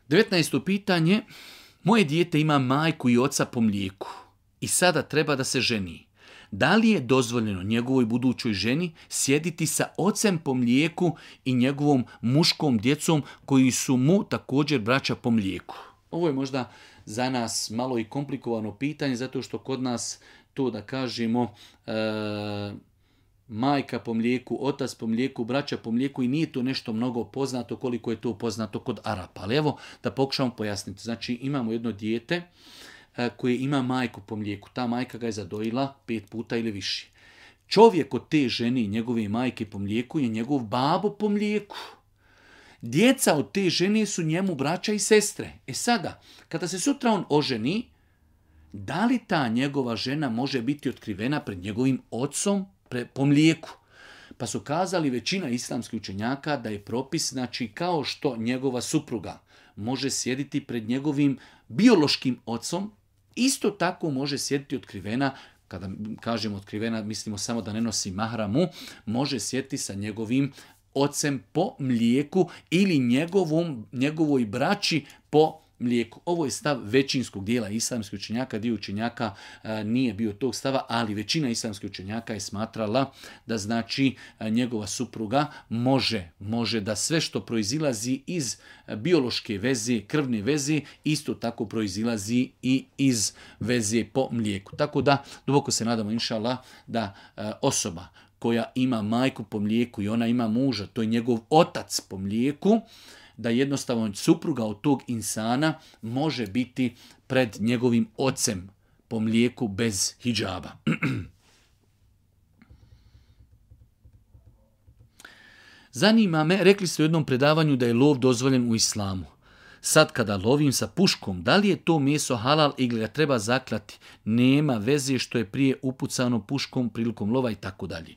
19. pitanje. Moje dijete ima majku i oca po mlijeku i sada treba da se ženi. Da li je dozvoljeno njegovoj budućoj ženi sjediti sa ocem po mlijeku i njegovom muškom djecom koji su mu također braća po mlijeku? Ovo je možda za nas malo i komplikovano pitanje, zato što kod nas to da kažemo majka po mlijeku, otac po mlijeku, braća po mlijeku i nije to nešto mnogo poznato koliko je to poznato kod Arapa. Ali evo da pokušamo pojasniti. Znači imamo jedno dijete koje ima majku po mlijeku. Ta majka ga je zadojila 5 puta ili više. Čovjek od te žene i njegove majke po mlijeku je njegov babo po mlijeku. Djeca od te žene su njemu braća i sestre. Sada, kada se sutra on oženi, da li ta njegova žena može biti otkrivena pred njegovim ocom po mlijeku? Pa su kazali većina islamskih učenjaka da je propis, znači kao što njegova supruga može sjediti pred njegovim biološkim ocom, isto tako može sjediti otkrivena, kada kažemo otkrivena, mislimo samo da ne nosi mahramu, može sjediti sa njegovim ocem po mlijeku ili njegovoj braći po mlijeku. Ovo je stav većinskog dijela islamskih učenjaka, dio učenjaka nije bio tog stava, ali većina islamskih učenjaka je smatrala da znači njegova supruga može da sve što proizilazi iz biološke veze, krvne veze, isto tako proizilazi i iz veze po mlijeku. Tako da duboko se nadamo inšallah da osoba koja ima majku po mlijeku i ona ima muža, to je njegov otac po mlijeku, da jednostavno supruga od tog insana može biti pred njegovim ocem po mlijeku bez hidžaba. Zanima me, rekli ste u jednom predavanju da je lov dozvoljen u islamu. Sad kada lovim sa puškom, da li je to meso halal ili ga treba zaklati? Nema veze što je prije upucano puškom prilikom lova i tako dalje.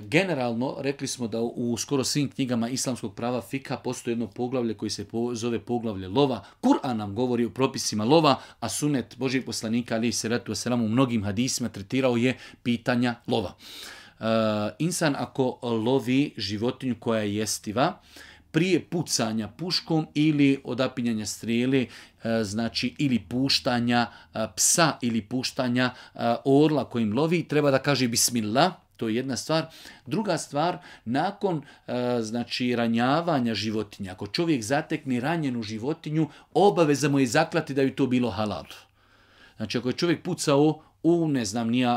Generalno, rekli smo da u skoro svim knjigama islamskog prava fika postoji jedno poglavlje koji se zove poglavlje lova. Kur'an nam govori o propisima lova, a sunet Božijeg poslanika alejhi selatu vesselam u mnogim hadisima tretirao je pitanja lova. Insan ako lovi životinju koja je jestiva, prije pucanja puškom ili odapinjanja strijele, znači ili puštanja psa ili puštanja orla kojim lovi, treba da kaže bismillah. To je jedna stvar. Druga stvar, nakon znači ranjavanja životinja, ako čovjek zatekne ranjenu životinju, obaveza mu je zaklati da bi to bilo halal. Znači ako je čovjek pucao u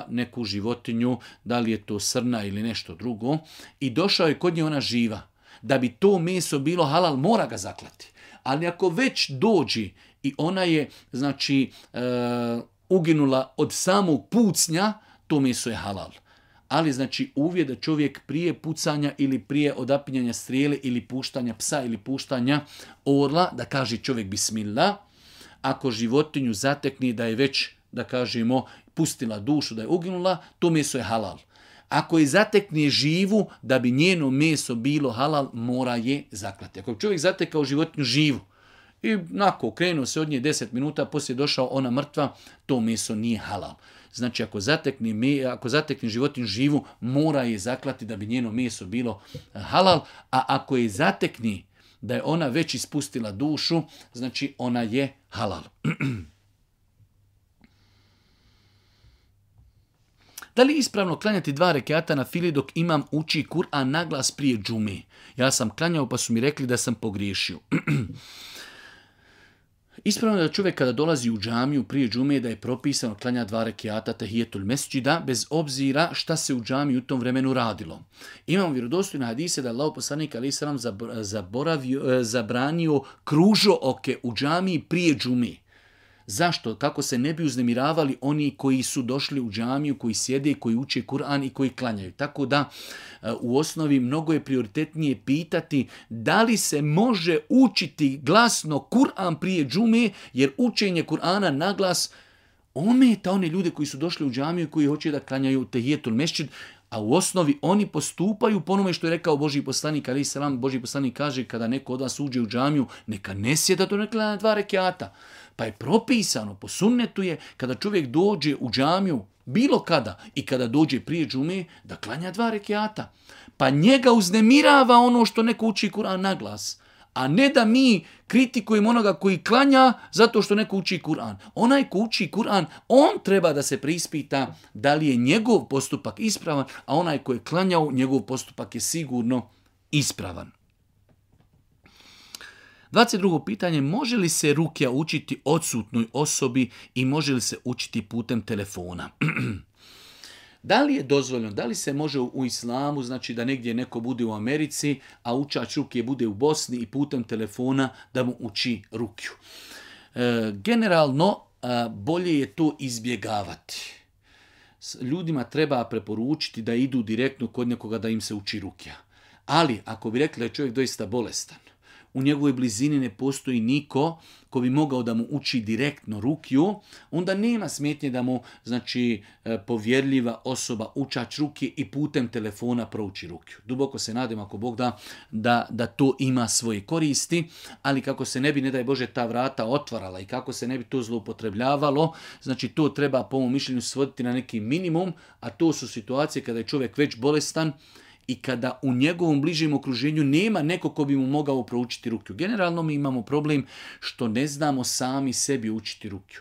neku životinju, da li je to srna ili nešto drugo, i došao je kod nje ona živa, da bi to meso bilo halal, mora ga zaklati. Ali ako već dođi i ona je znači uginula od samog pucnja, to meso je halal. Ali znači uvijek da čovjek prije pucanja ili prije odapinjanja strijele ili puštanja psa ili puštanja orla, da kaže čovjek bismillah. Ako životinju zatekne da je već, da kažemo, pustila dušu, da je uginula, to meso je halal. Ako je zatekne živu, da bi njeno meso bilo halal, mora je zaklati. Ako je čovjek zatekao životinju živu i nakon krenuo se od nje 10 minuta, poslije došao ona mrtva, to meso nije halal. Znači ako zatekne životinju živu, mora je zaklati da bi njeno meso bilo halal, a ako je zatekne da je ona već ispustila dušu, znači ona je halal. Da li je ispravno klanjati 2 rekata na fili dok imam uči Kur'an naglas prije džume? Ja sam klanjao pa su mi rekli da sam pogriješio. Ispravno je da čovjek kada dolazi u džamiju prije džume da je propisano klanja 2 rekata tahijetul mesdžida bez obzira šta se u džamiji u tom vremenu radilo. Imamo vjerodostojne hadise da je Allahov poslanik alejhi selam zabranio kružooke u džamiji prije džume. Zašto? Kako se ne bi uznemiravali oni koji su došli u džamiju, koji sjede, koji uče Kur'an i koji klanjaju. Tako da u osnovi mnogo je prioritetnije pitati da li se može učiti glasno Kur'an prije džume, jer učenje Kur'ana na glas ometa one ljude koji su došli u džamiju i koji hoće da klanjaju tahijetul mesdžid, a u osnovi oni postupaju po onome što je rekao Božji poslanik alejhi selam. Božji poslanik kaže kada neko od vas uđe u džamiju, neka ne sjeda do klanja 2 rekata. Pa je propisano, po sunnetu je, kada čovjek dođe u džamiju, bilo kada i kada dođe prije džume, da klanja 2 rekata. Pa njega uznemirava ono što neko uči Kur'an na glas. A ne da mi kritikujemo onoga koji klanja zato što neko uči Kur'an. Onaj ko uči Kur'an, on treba da se preispita da li je njegov postupak ispravan, a onaj ko je klanjao, njegov postupak je sigurno ispravan. 22. pitanje, može li se rukja učiti odsutnoj osobi i može li se učiti putem telefona? Da li je dozvoljeno, da li se može u islamu, znači da negdje neko bude u Americi, a učač rukje bude u Bosni i putem telefona da mu uči rukju? Generalno, bolje je to izbjegavati. Ljudima treba preporučiti da idu direktno kod nekoga da im se uči rukja. Ali, ako bi rekli da je čovjek doista bolestan, u njegovoj blizini ne postoji niko ko bi mogao da mu uči direktno rukju, onda nema smetnje da mu, znači, povjerljiva osoba, učač rukje i putem telefona prouči rukju. Duboko se nadam, ako Bog da to ima svoje koristi, ali kako se ne bi, ne daj Bože, ta vrata otvarala i kako se ne bi to zloupotrebljavalo, znači to treba po mom mišljenju svoditi na neki minimum, a to su situacije kada je čovjek već bolestan i kada u njegovom bližem okruženju nema neko ko bi mu mogao proučiti rukju. Generalno mi imamo problem što ne znamo sami sebi učiti rukju.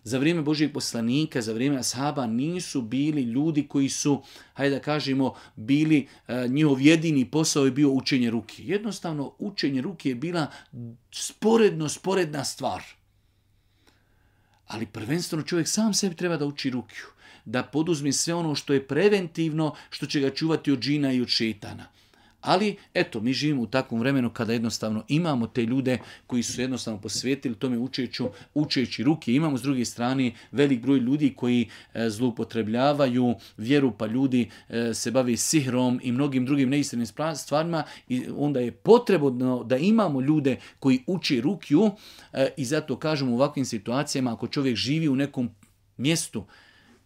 Za vrijeme Božijeg poslanika, za vrijeme ashaba nisu bili ljudi koji su, hajde da kažemo, bili, njihov jedini posao je bio učenje ruke. Jednostavno, učenje ruke je bila sporedna stvar. Ali prvenstveno čovjek sam sebi treba da uči rukju, da poduzme sve ono što je preventivno, što će ga čuvati od džina i od šetana. Ali, eto, mi živimo u takvom vremenu kada jednostavno imamo te ljude koji su jednostavno posvetili tome učeći ruke. Imamo s druge strane velik broj ljudi koji zloupotrebljavaju vjeru, pa ljudi se bave sihrom i mnogim drugim neistinim stvarima i onda je potrebno da imamo ljude koji uče rukju i zato kažemo u ovakvim situacijama ako čovjek živi u nekom mjestu,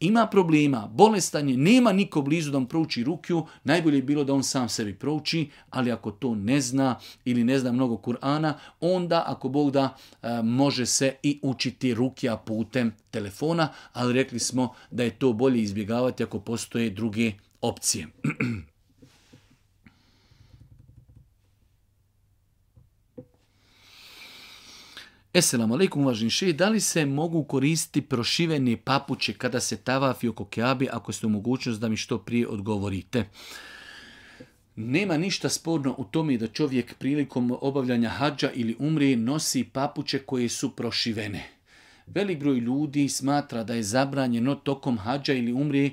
ima problema, bolestan je, nema niko blizu da mu prouči rukju, najbolje je bilo da on sam sebi prouči, ali ako to ne zna ili ne zna mnogo Kur'ana, onda ako Bog da može se i učiti rukja putem telefona, ali rekli smo da je to bolje izbjegavati ako postoje druge opcije. Esselamu alaikum, uvaženi šejh, da li se mogu koristiti prošivene papuče kada se tavafi oko Kjabe, ako ste u mogućnost da mi što prije odgovorite? Nema ništa sporno u tome da čovjek prilikom obavljanja hadža ili umre nosi papuče koje su prošivene. Velik broj ljudi smatra da je zabranjeno tokom hadža ili umre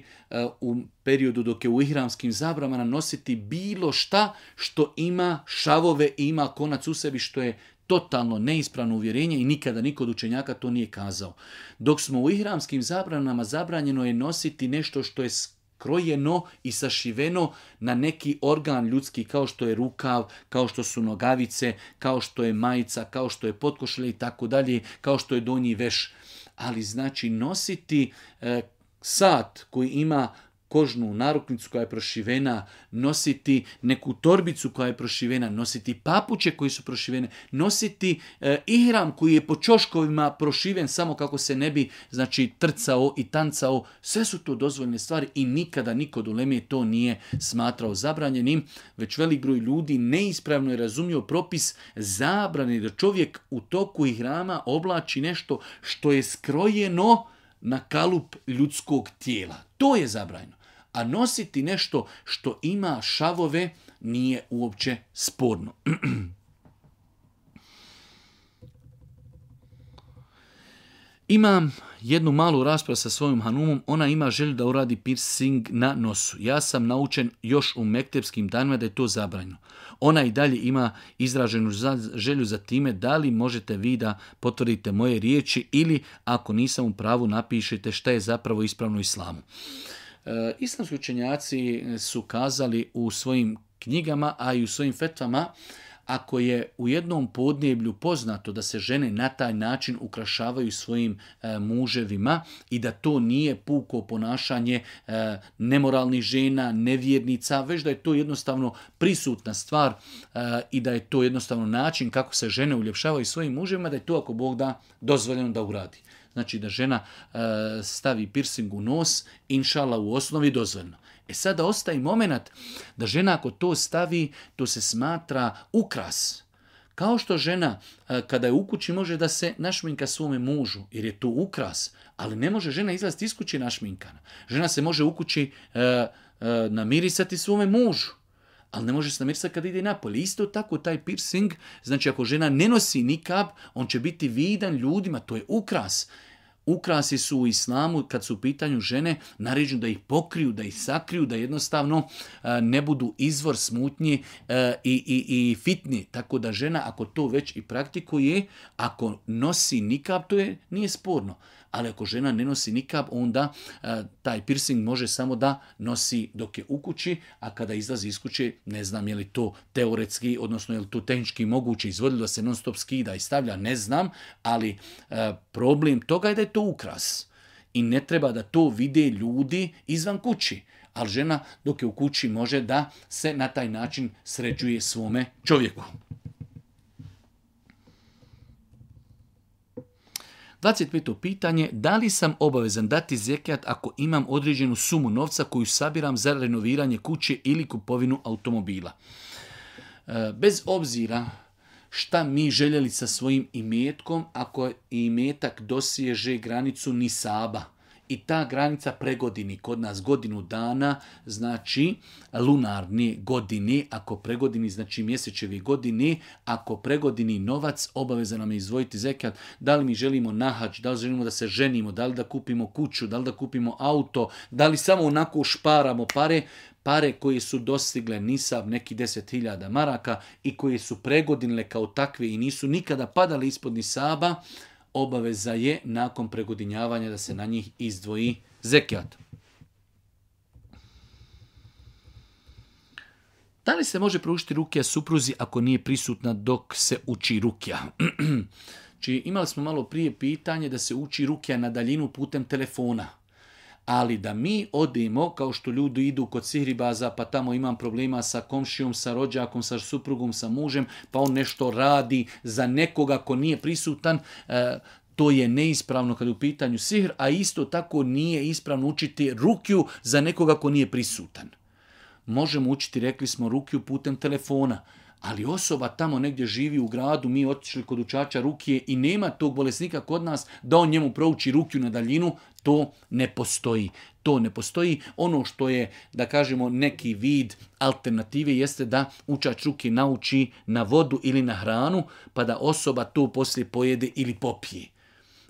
u periodu dok je u ihramskim zabranama nositi bilo šta što ima šavove i ima konac u sebi, što je totalno neispravno uvjerenje i nikada niko od učenjaka to nije kazao. Dok smo u ihramskim zabranama, zabranjeno je nositi nešto što je skrojeno i sašiveno na neki organ ljudski, kao što je rukav, kao što su nogavice, kao što je majica, kao što je potkošulja i tako dalje, kao što je donji veš. Ali znači nositi sat koji ima kožnu naruknicu koja je prošivena, nositi neku torbicu koja je prošivena, nositi papuče koji su prošivene, nositi ihram koji je po ćoškovima prošiven samo kako se ne bi znači trcao i tancao. Sve su to dozvoljene stvari i nikada niko od uleme to nije smatrao zabranjenim, već velik broj ljudi neispravno je razumio propis zabrane da čovjek u toku ihrama oblači nešto što je skrojeno na kalup ljudskog tijela. To je zabranjeno. A nositi nešto što ima šavove nije uopće sporno. Imam jednu malu raspravu sa svojom hanumom, ona ima želju da uradi piercing na nosu. Ja sam naučen još u mektepskim danima da je to zabranjeno. Ona i dalje ima izraženu želju za time, da li možete vi da potvrdite moje riječi ili ako nisam u pravu napišite šta je zapravo ispravno u islamu. Islamski učenjaci su kazali u svojim knjigama, a i u svojim fetvama, ako je u jednom podneblju poznato da se žene na taj način ukrašavaju svojim muževima i da to nije puko ponašanje nemoralnih žena, nevjernica, već da je to jednostavno prisutna stvar i da je to jednostavno način kako se žene uljepšavaju svojim muževima, da je to ako Bog da dozvoljeno da uradi. Znači da žena stavi piercing u nos, inšala u osnovi dozvoljeno. Sada ostaje moment da žena ako to stavi, to se smatra ukras. Kao što žena kada je u kući može da se našminka svome mužu, jer je to ukras, ali ne može žena izlaziti iz kuće našminkana. Žena se može u kući namirisati svome mužu, ali ne može se namirisati kad ide napolje. Isto tako taj piercing, znači ako žena ne nosi nikab, on će biti vidan ljudima, to je ukras. Ukrasi su u islamu, kad su u pitanju žene, naređeno da ih pokriju, da ih sakriju, da jednostavno ne budu izvor smutnje i fitne. Tako da žena, ako to već i praktikuje, ako nosi nikab, to nije sporno. Ali ako žena ne nosi nikab, onda taj piercing može samo da nosi dok je u kući, a kada izlazi iz kuće, ne znam je li to teoretski, odnosno je li to tehnički moguće izvoditi da se non stop skida i stavlja, ne znam, ali problem toga je da je to ukras. I ne treba da to vide ljudi izvan kući. Ali žena dok je u kući može da se na taj način sređuje svome čovjeku. 25. pitanje, da li sam obavezan dati zekijat ako imam određenu sumu novca koju sabiram za renoviranje kuće ili kupovinu automobila? Bez obzira šta mi željeli sa svojim imetkom, ako imetak dosježe granicu nisaba i ta granica pregodini kod nas godinu dana, znači lunarne godine, ako pregodini znači mjesečevi godine, ako pregodini novac, obavezan nam je izdvojiti zekijat. Da li mi želimo na hadž, da li želimo da se ženimo, da li da kupimo kuću, da li da kupimo auto, da li samo onako šparamo pare koje su dostigle nisab neki 10.000 maraka i koje su pregodinile kao takve i nisu nikada padale ispod nisaba, obaveza je nakon pregodinjavanja da se na njih izdvoji zekijat. Da li se može proučiti rukija supruzi ako nije prisutna dok se uči rukija? Či imali smo malo prije pitanje da se uči rukija na daljinu putem telefona. Ali da mi odemo, kao što ljudi idu kod sihribaza, pa tamo imam problema sa komšijom, sa rođakom, sa suprugom, sa mužem, pa on nešto radi za nekoga ko nije prisutan, to je neispravno kada je u pitanju sihr, a isto tako nije ispravno učiti rukiju za nekoga ko nije prisutan. Možemo učiti, rekli smo, rukiju putem telefona, ali osoba tamo negdje živi u gradu, mi otišli kod učača rukije i nema tog bolesnika kod nas da on njemu prouči rukiju na daljinu, to ne postoji. To ne postoji. Ono što je, da kažemo, neki vid alternative jeste da učač ruke nauči na vodu ili na hranu, pa da osoba to poslije pojede ili popije.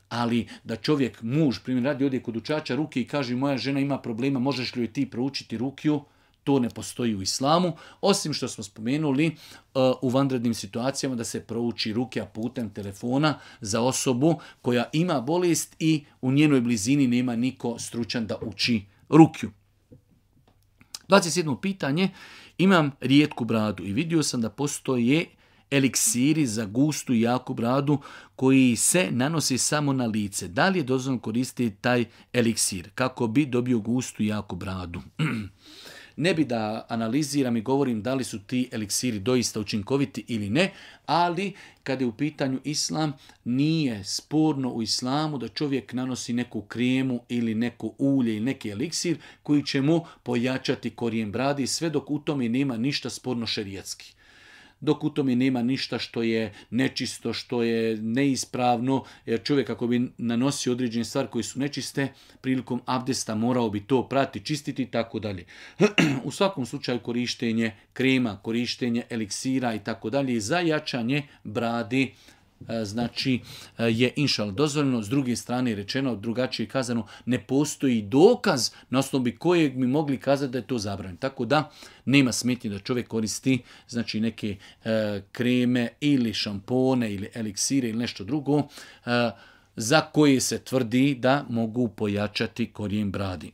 Ali da čovjek, muž, primjer radi, ode kod učača ruke i kaže moja žena ima problema, možeš li joj ti proučiti rukiju? To ne postoji u islamu, osim što smo spomenuli u vanrednim situacijama da se prouči rukija putem telefona za osobu koja ima bolest i u njenoj blizini nema niko stručan da uči rukiju. 27. pitanje, imam rijetku bradu i vidio sam da postoje eliksiri za gustu i jaku bradu koji se nanosi samo na lice. Da li je dozvoljeno koristiti taj eliksir kako bi dobio gustu i jaku bradu? Ne bi da analiziram i govorim da li su ti eliksiri doista učinkoviti ili ne, ali kada je u pitanju islam, nije sporno u islamu da čovjek nanosi neku kremu ili neko ulje ili neki eliksir koji će mu pojačati korijen bradi, sve dok u tome nema ništa sporno šerijatski. Dok u tome nema ništa što je nečisto, što je neispravno, jer čovjek ako bi nanosio određene stvari koje su nečiste, prilikom abdesta morao bi to prati, čistiti i tako dalje. U svakom slučaju korištenje krema, korištenje eliksira i tako dalje za jačanje bradi, znači je inšal dozvoljeno. S druge strane rečeno, drugačije kazano, ne postoji dokaz na osnovi kojeg mi mogli kazati da je to zabranjeno. Tako da nema smetnje da čovjek koristi znači neke kreme ili šampone ili eliksire ili nešto drugo za koje se tvrdi da mogu pojačati korijen bradi.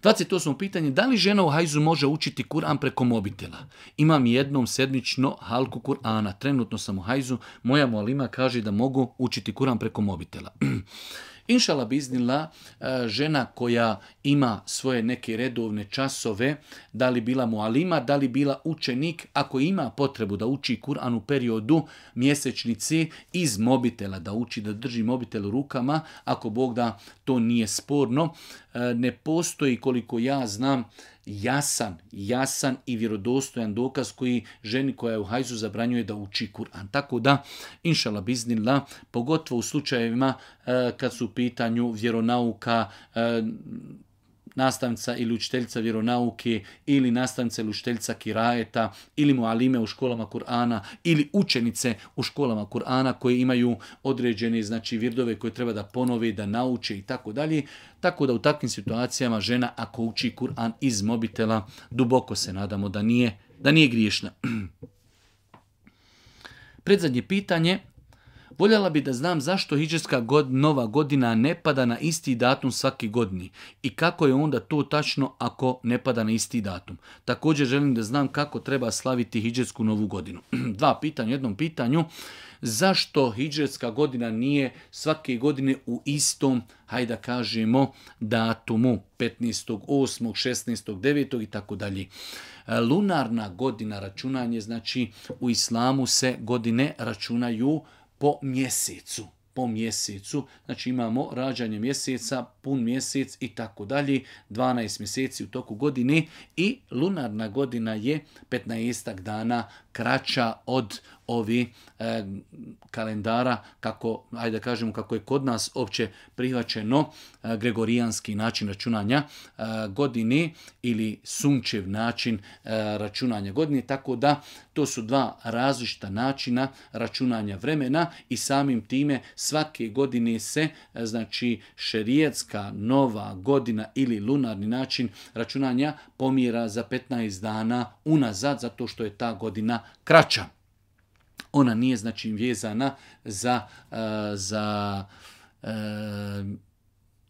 28. pitanje, da li žena u hajzu može učiti Kur'an preko mobitela? Imam jednom sedmično halku Kur'ana, trenutno sam u hajzu, moja mualima kaže da mogu učiti Kur'an preko mobitela. Inšala biznila, žena koja ima svoje neke redovne časove, da li bila mualima, da li bila učenik, ako ima potrebu da uči Kur'an u periodu mjesečnici iz mobitela, da uči da drži mobitel u rukama, ako Bog da to nije sporno, ne postoji koliko ja znam jasan i vjerodostojan dokaz koji ženi koja je u hajzu zabranjuje da uči Kur'an. Tako da, inšala biznillah, pogotovo u slučajevima kad su u pitanju vjeronauka, nastavnica ili učiteljica vjeronauke ili nastavnica ili učiteljica kirajeta ili mualime u školama Kur'ana ili učenice u školama Kur'ana koje imaju određene znači virdove koje treba da ponove, da nauče i tako dalje. Tako da u takvim situacijama žena ako uči Kur'an iz mobitela, duboko se nadamo da nije griješna. Predzadnje pitanje. Voljela bi da znam zašto hidžetska nova godina ne pada na isti datum svake godine i kako je onda to tačno ako ne pada na isti datum. Također želim da znam kako treba slaviti hidžetsku novu godinu. Dva pitanja u jednom pitanju. Zašto hidžetska godina nije svake godine u istom, hajde da kažemo, datumu 15.8., 16.9. i tako dalje. Lunarna godina računanje, znači u islamu se godine računaju po mjesecu. Znači imamo rađanje mjeseca, pun mjesec i tako dalje, 12 mjeseci u toku godine i lunarna godina je 15 dana kraća od ovi kalendara, kako, ajde da kažemo kako je kod nas opće prihvaćeno gregorijanski način računanja godine ili sunčev način računanja godine, tako da to su dva različita načina računanja vremena i samim time svake godine se, znači šerijatska nova godina ili lunarni način računanja pomjera za 15 dana unazad, zato što je ta godina kraća. Ona nije znači vezana za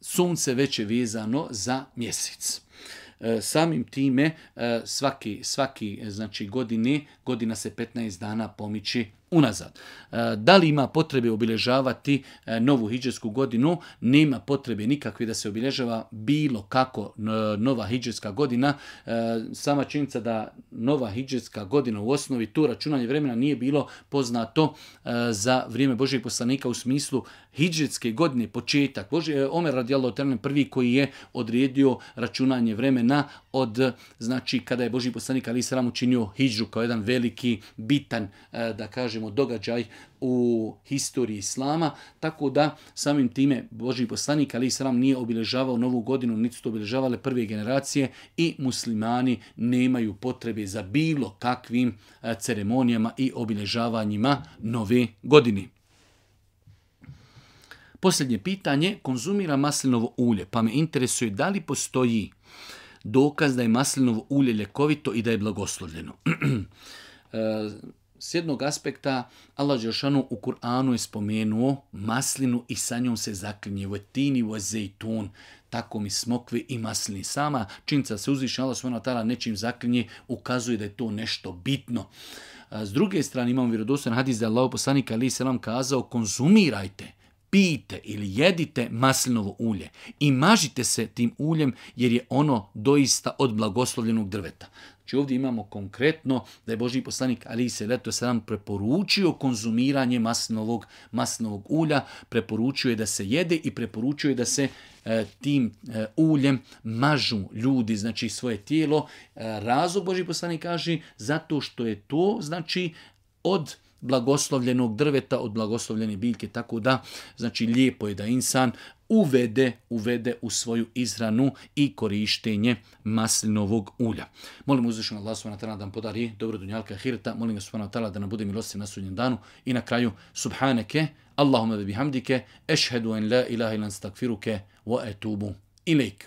sunce, već je vezano za mjesec. Samim time svaki znači godina se 15 dana pomiče unazad. Da li ima potrebe obilježavati novu hidžetsku godinu? Nema potrebe nikakve da se obilježava bilo kako nova hidžetska godina. Sama činjenica da nova hidžetska godina u osnovi to računanje vremena nije bilo poznato za vrijeme Božijeg poslanika u smislu hidžetske godine, početak. Omer radijallahu ta'ala prvi koji je odredio računanje vremena od, znači kada je Božji poslanik alejhi selam učinio hidžu kao jedan veliki, bitan, da kažemo, događaj u historiji islama, tako da samim time Božji poslanik alejhi selam nije obilježavao novu godinu, niti su to obilježavale prve generacije i muslimani nemaju potrebe za bilo kakvim ceremonijama i obilježavanjima nove godine. Posljednje pitanje, konzumira maslinovo ulje, pa me interesuje da li postoji dokaz da je maslinovo ulje ljekovito i da je blagoslovljeno. S jednog aspekta, Allah dželešanu u Kur'anu je spomenuo maslinu i sa njom se zaklinje vetini wa zejtun, tako mi smokve i maslini. Sama činjenica se uzviše Allah subhanahu wa ta'ala nečim zaklinje ukazuje da je to nešto bitno. S druge strane imamo vjerodostojan hadis da je Allahov poslanik alejhi selam kazao konzumirajte, pijte ili jedite maslinovo ulje i mažite se tim uljem jer je ono doista od blagoslovljenog drveta. Znači ovdje imamo konkretno da je Božji poslanik alejhi selam preporučio konzumiranje maslinovog ulja, preporučio je da se jede i preporučio je da se tim uljem mažu ljudi, znači svoje tijelo. Razlog Božji poslanik kaže zato što je to znači od blagoslovljenog drveta, od blagoslovljene biljke, tako da znači lijepo je da insan uvede u svoju izhranu i korištenje maslinovog ulja. Molim uzvišenog Allah subhanahu wa ta'ala da nam podari dobro dunjalka ahireta, molim ga subhanahu wa ta'ala da nam bude milostiv na sudnjem danu i na kraju subhaneke, Allahumma ve bihamdike, ešhedu en la ilaha illa ente astagfiruke wa etubu ilejk.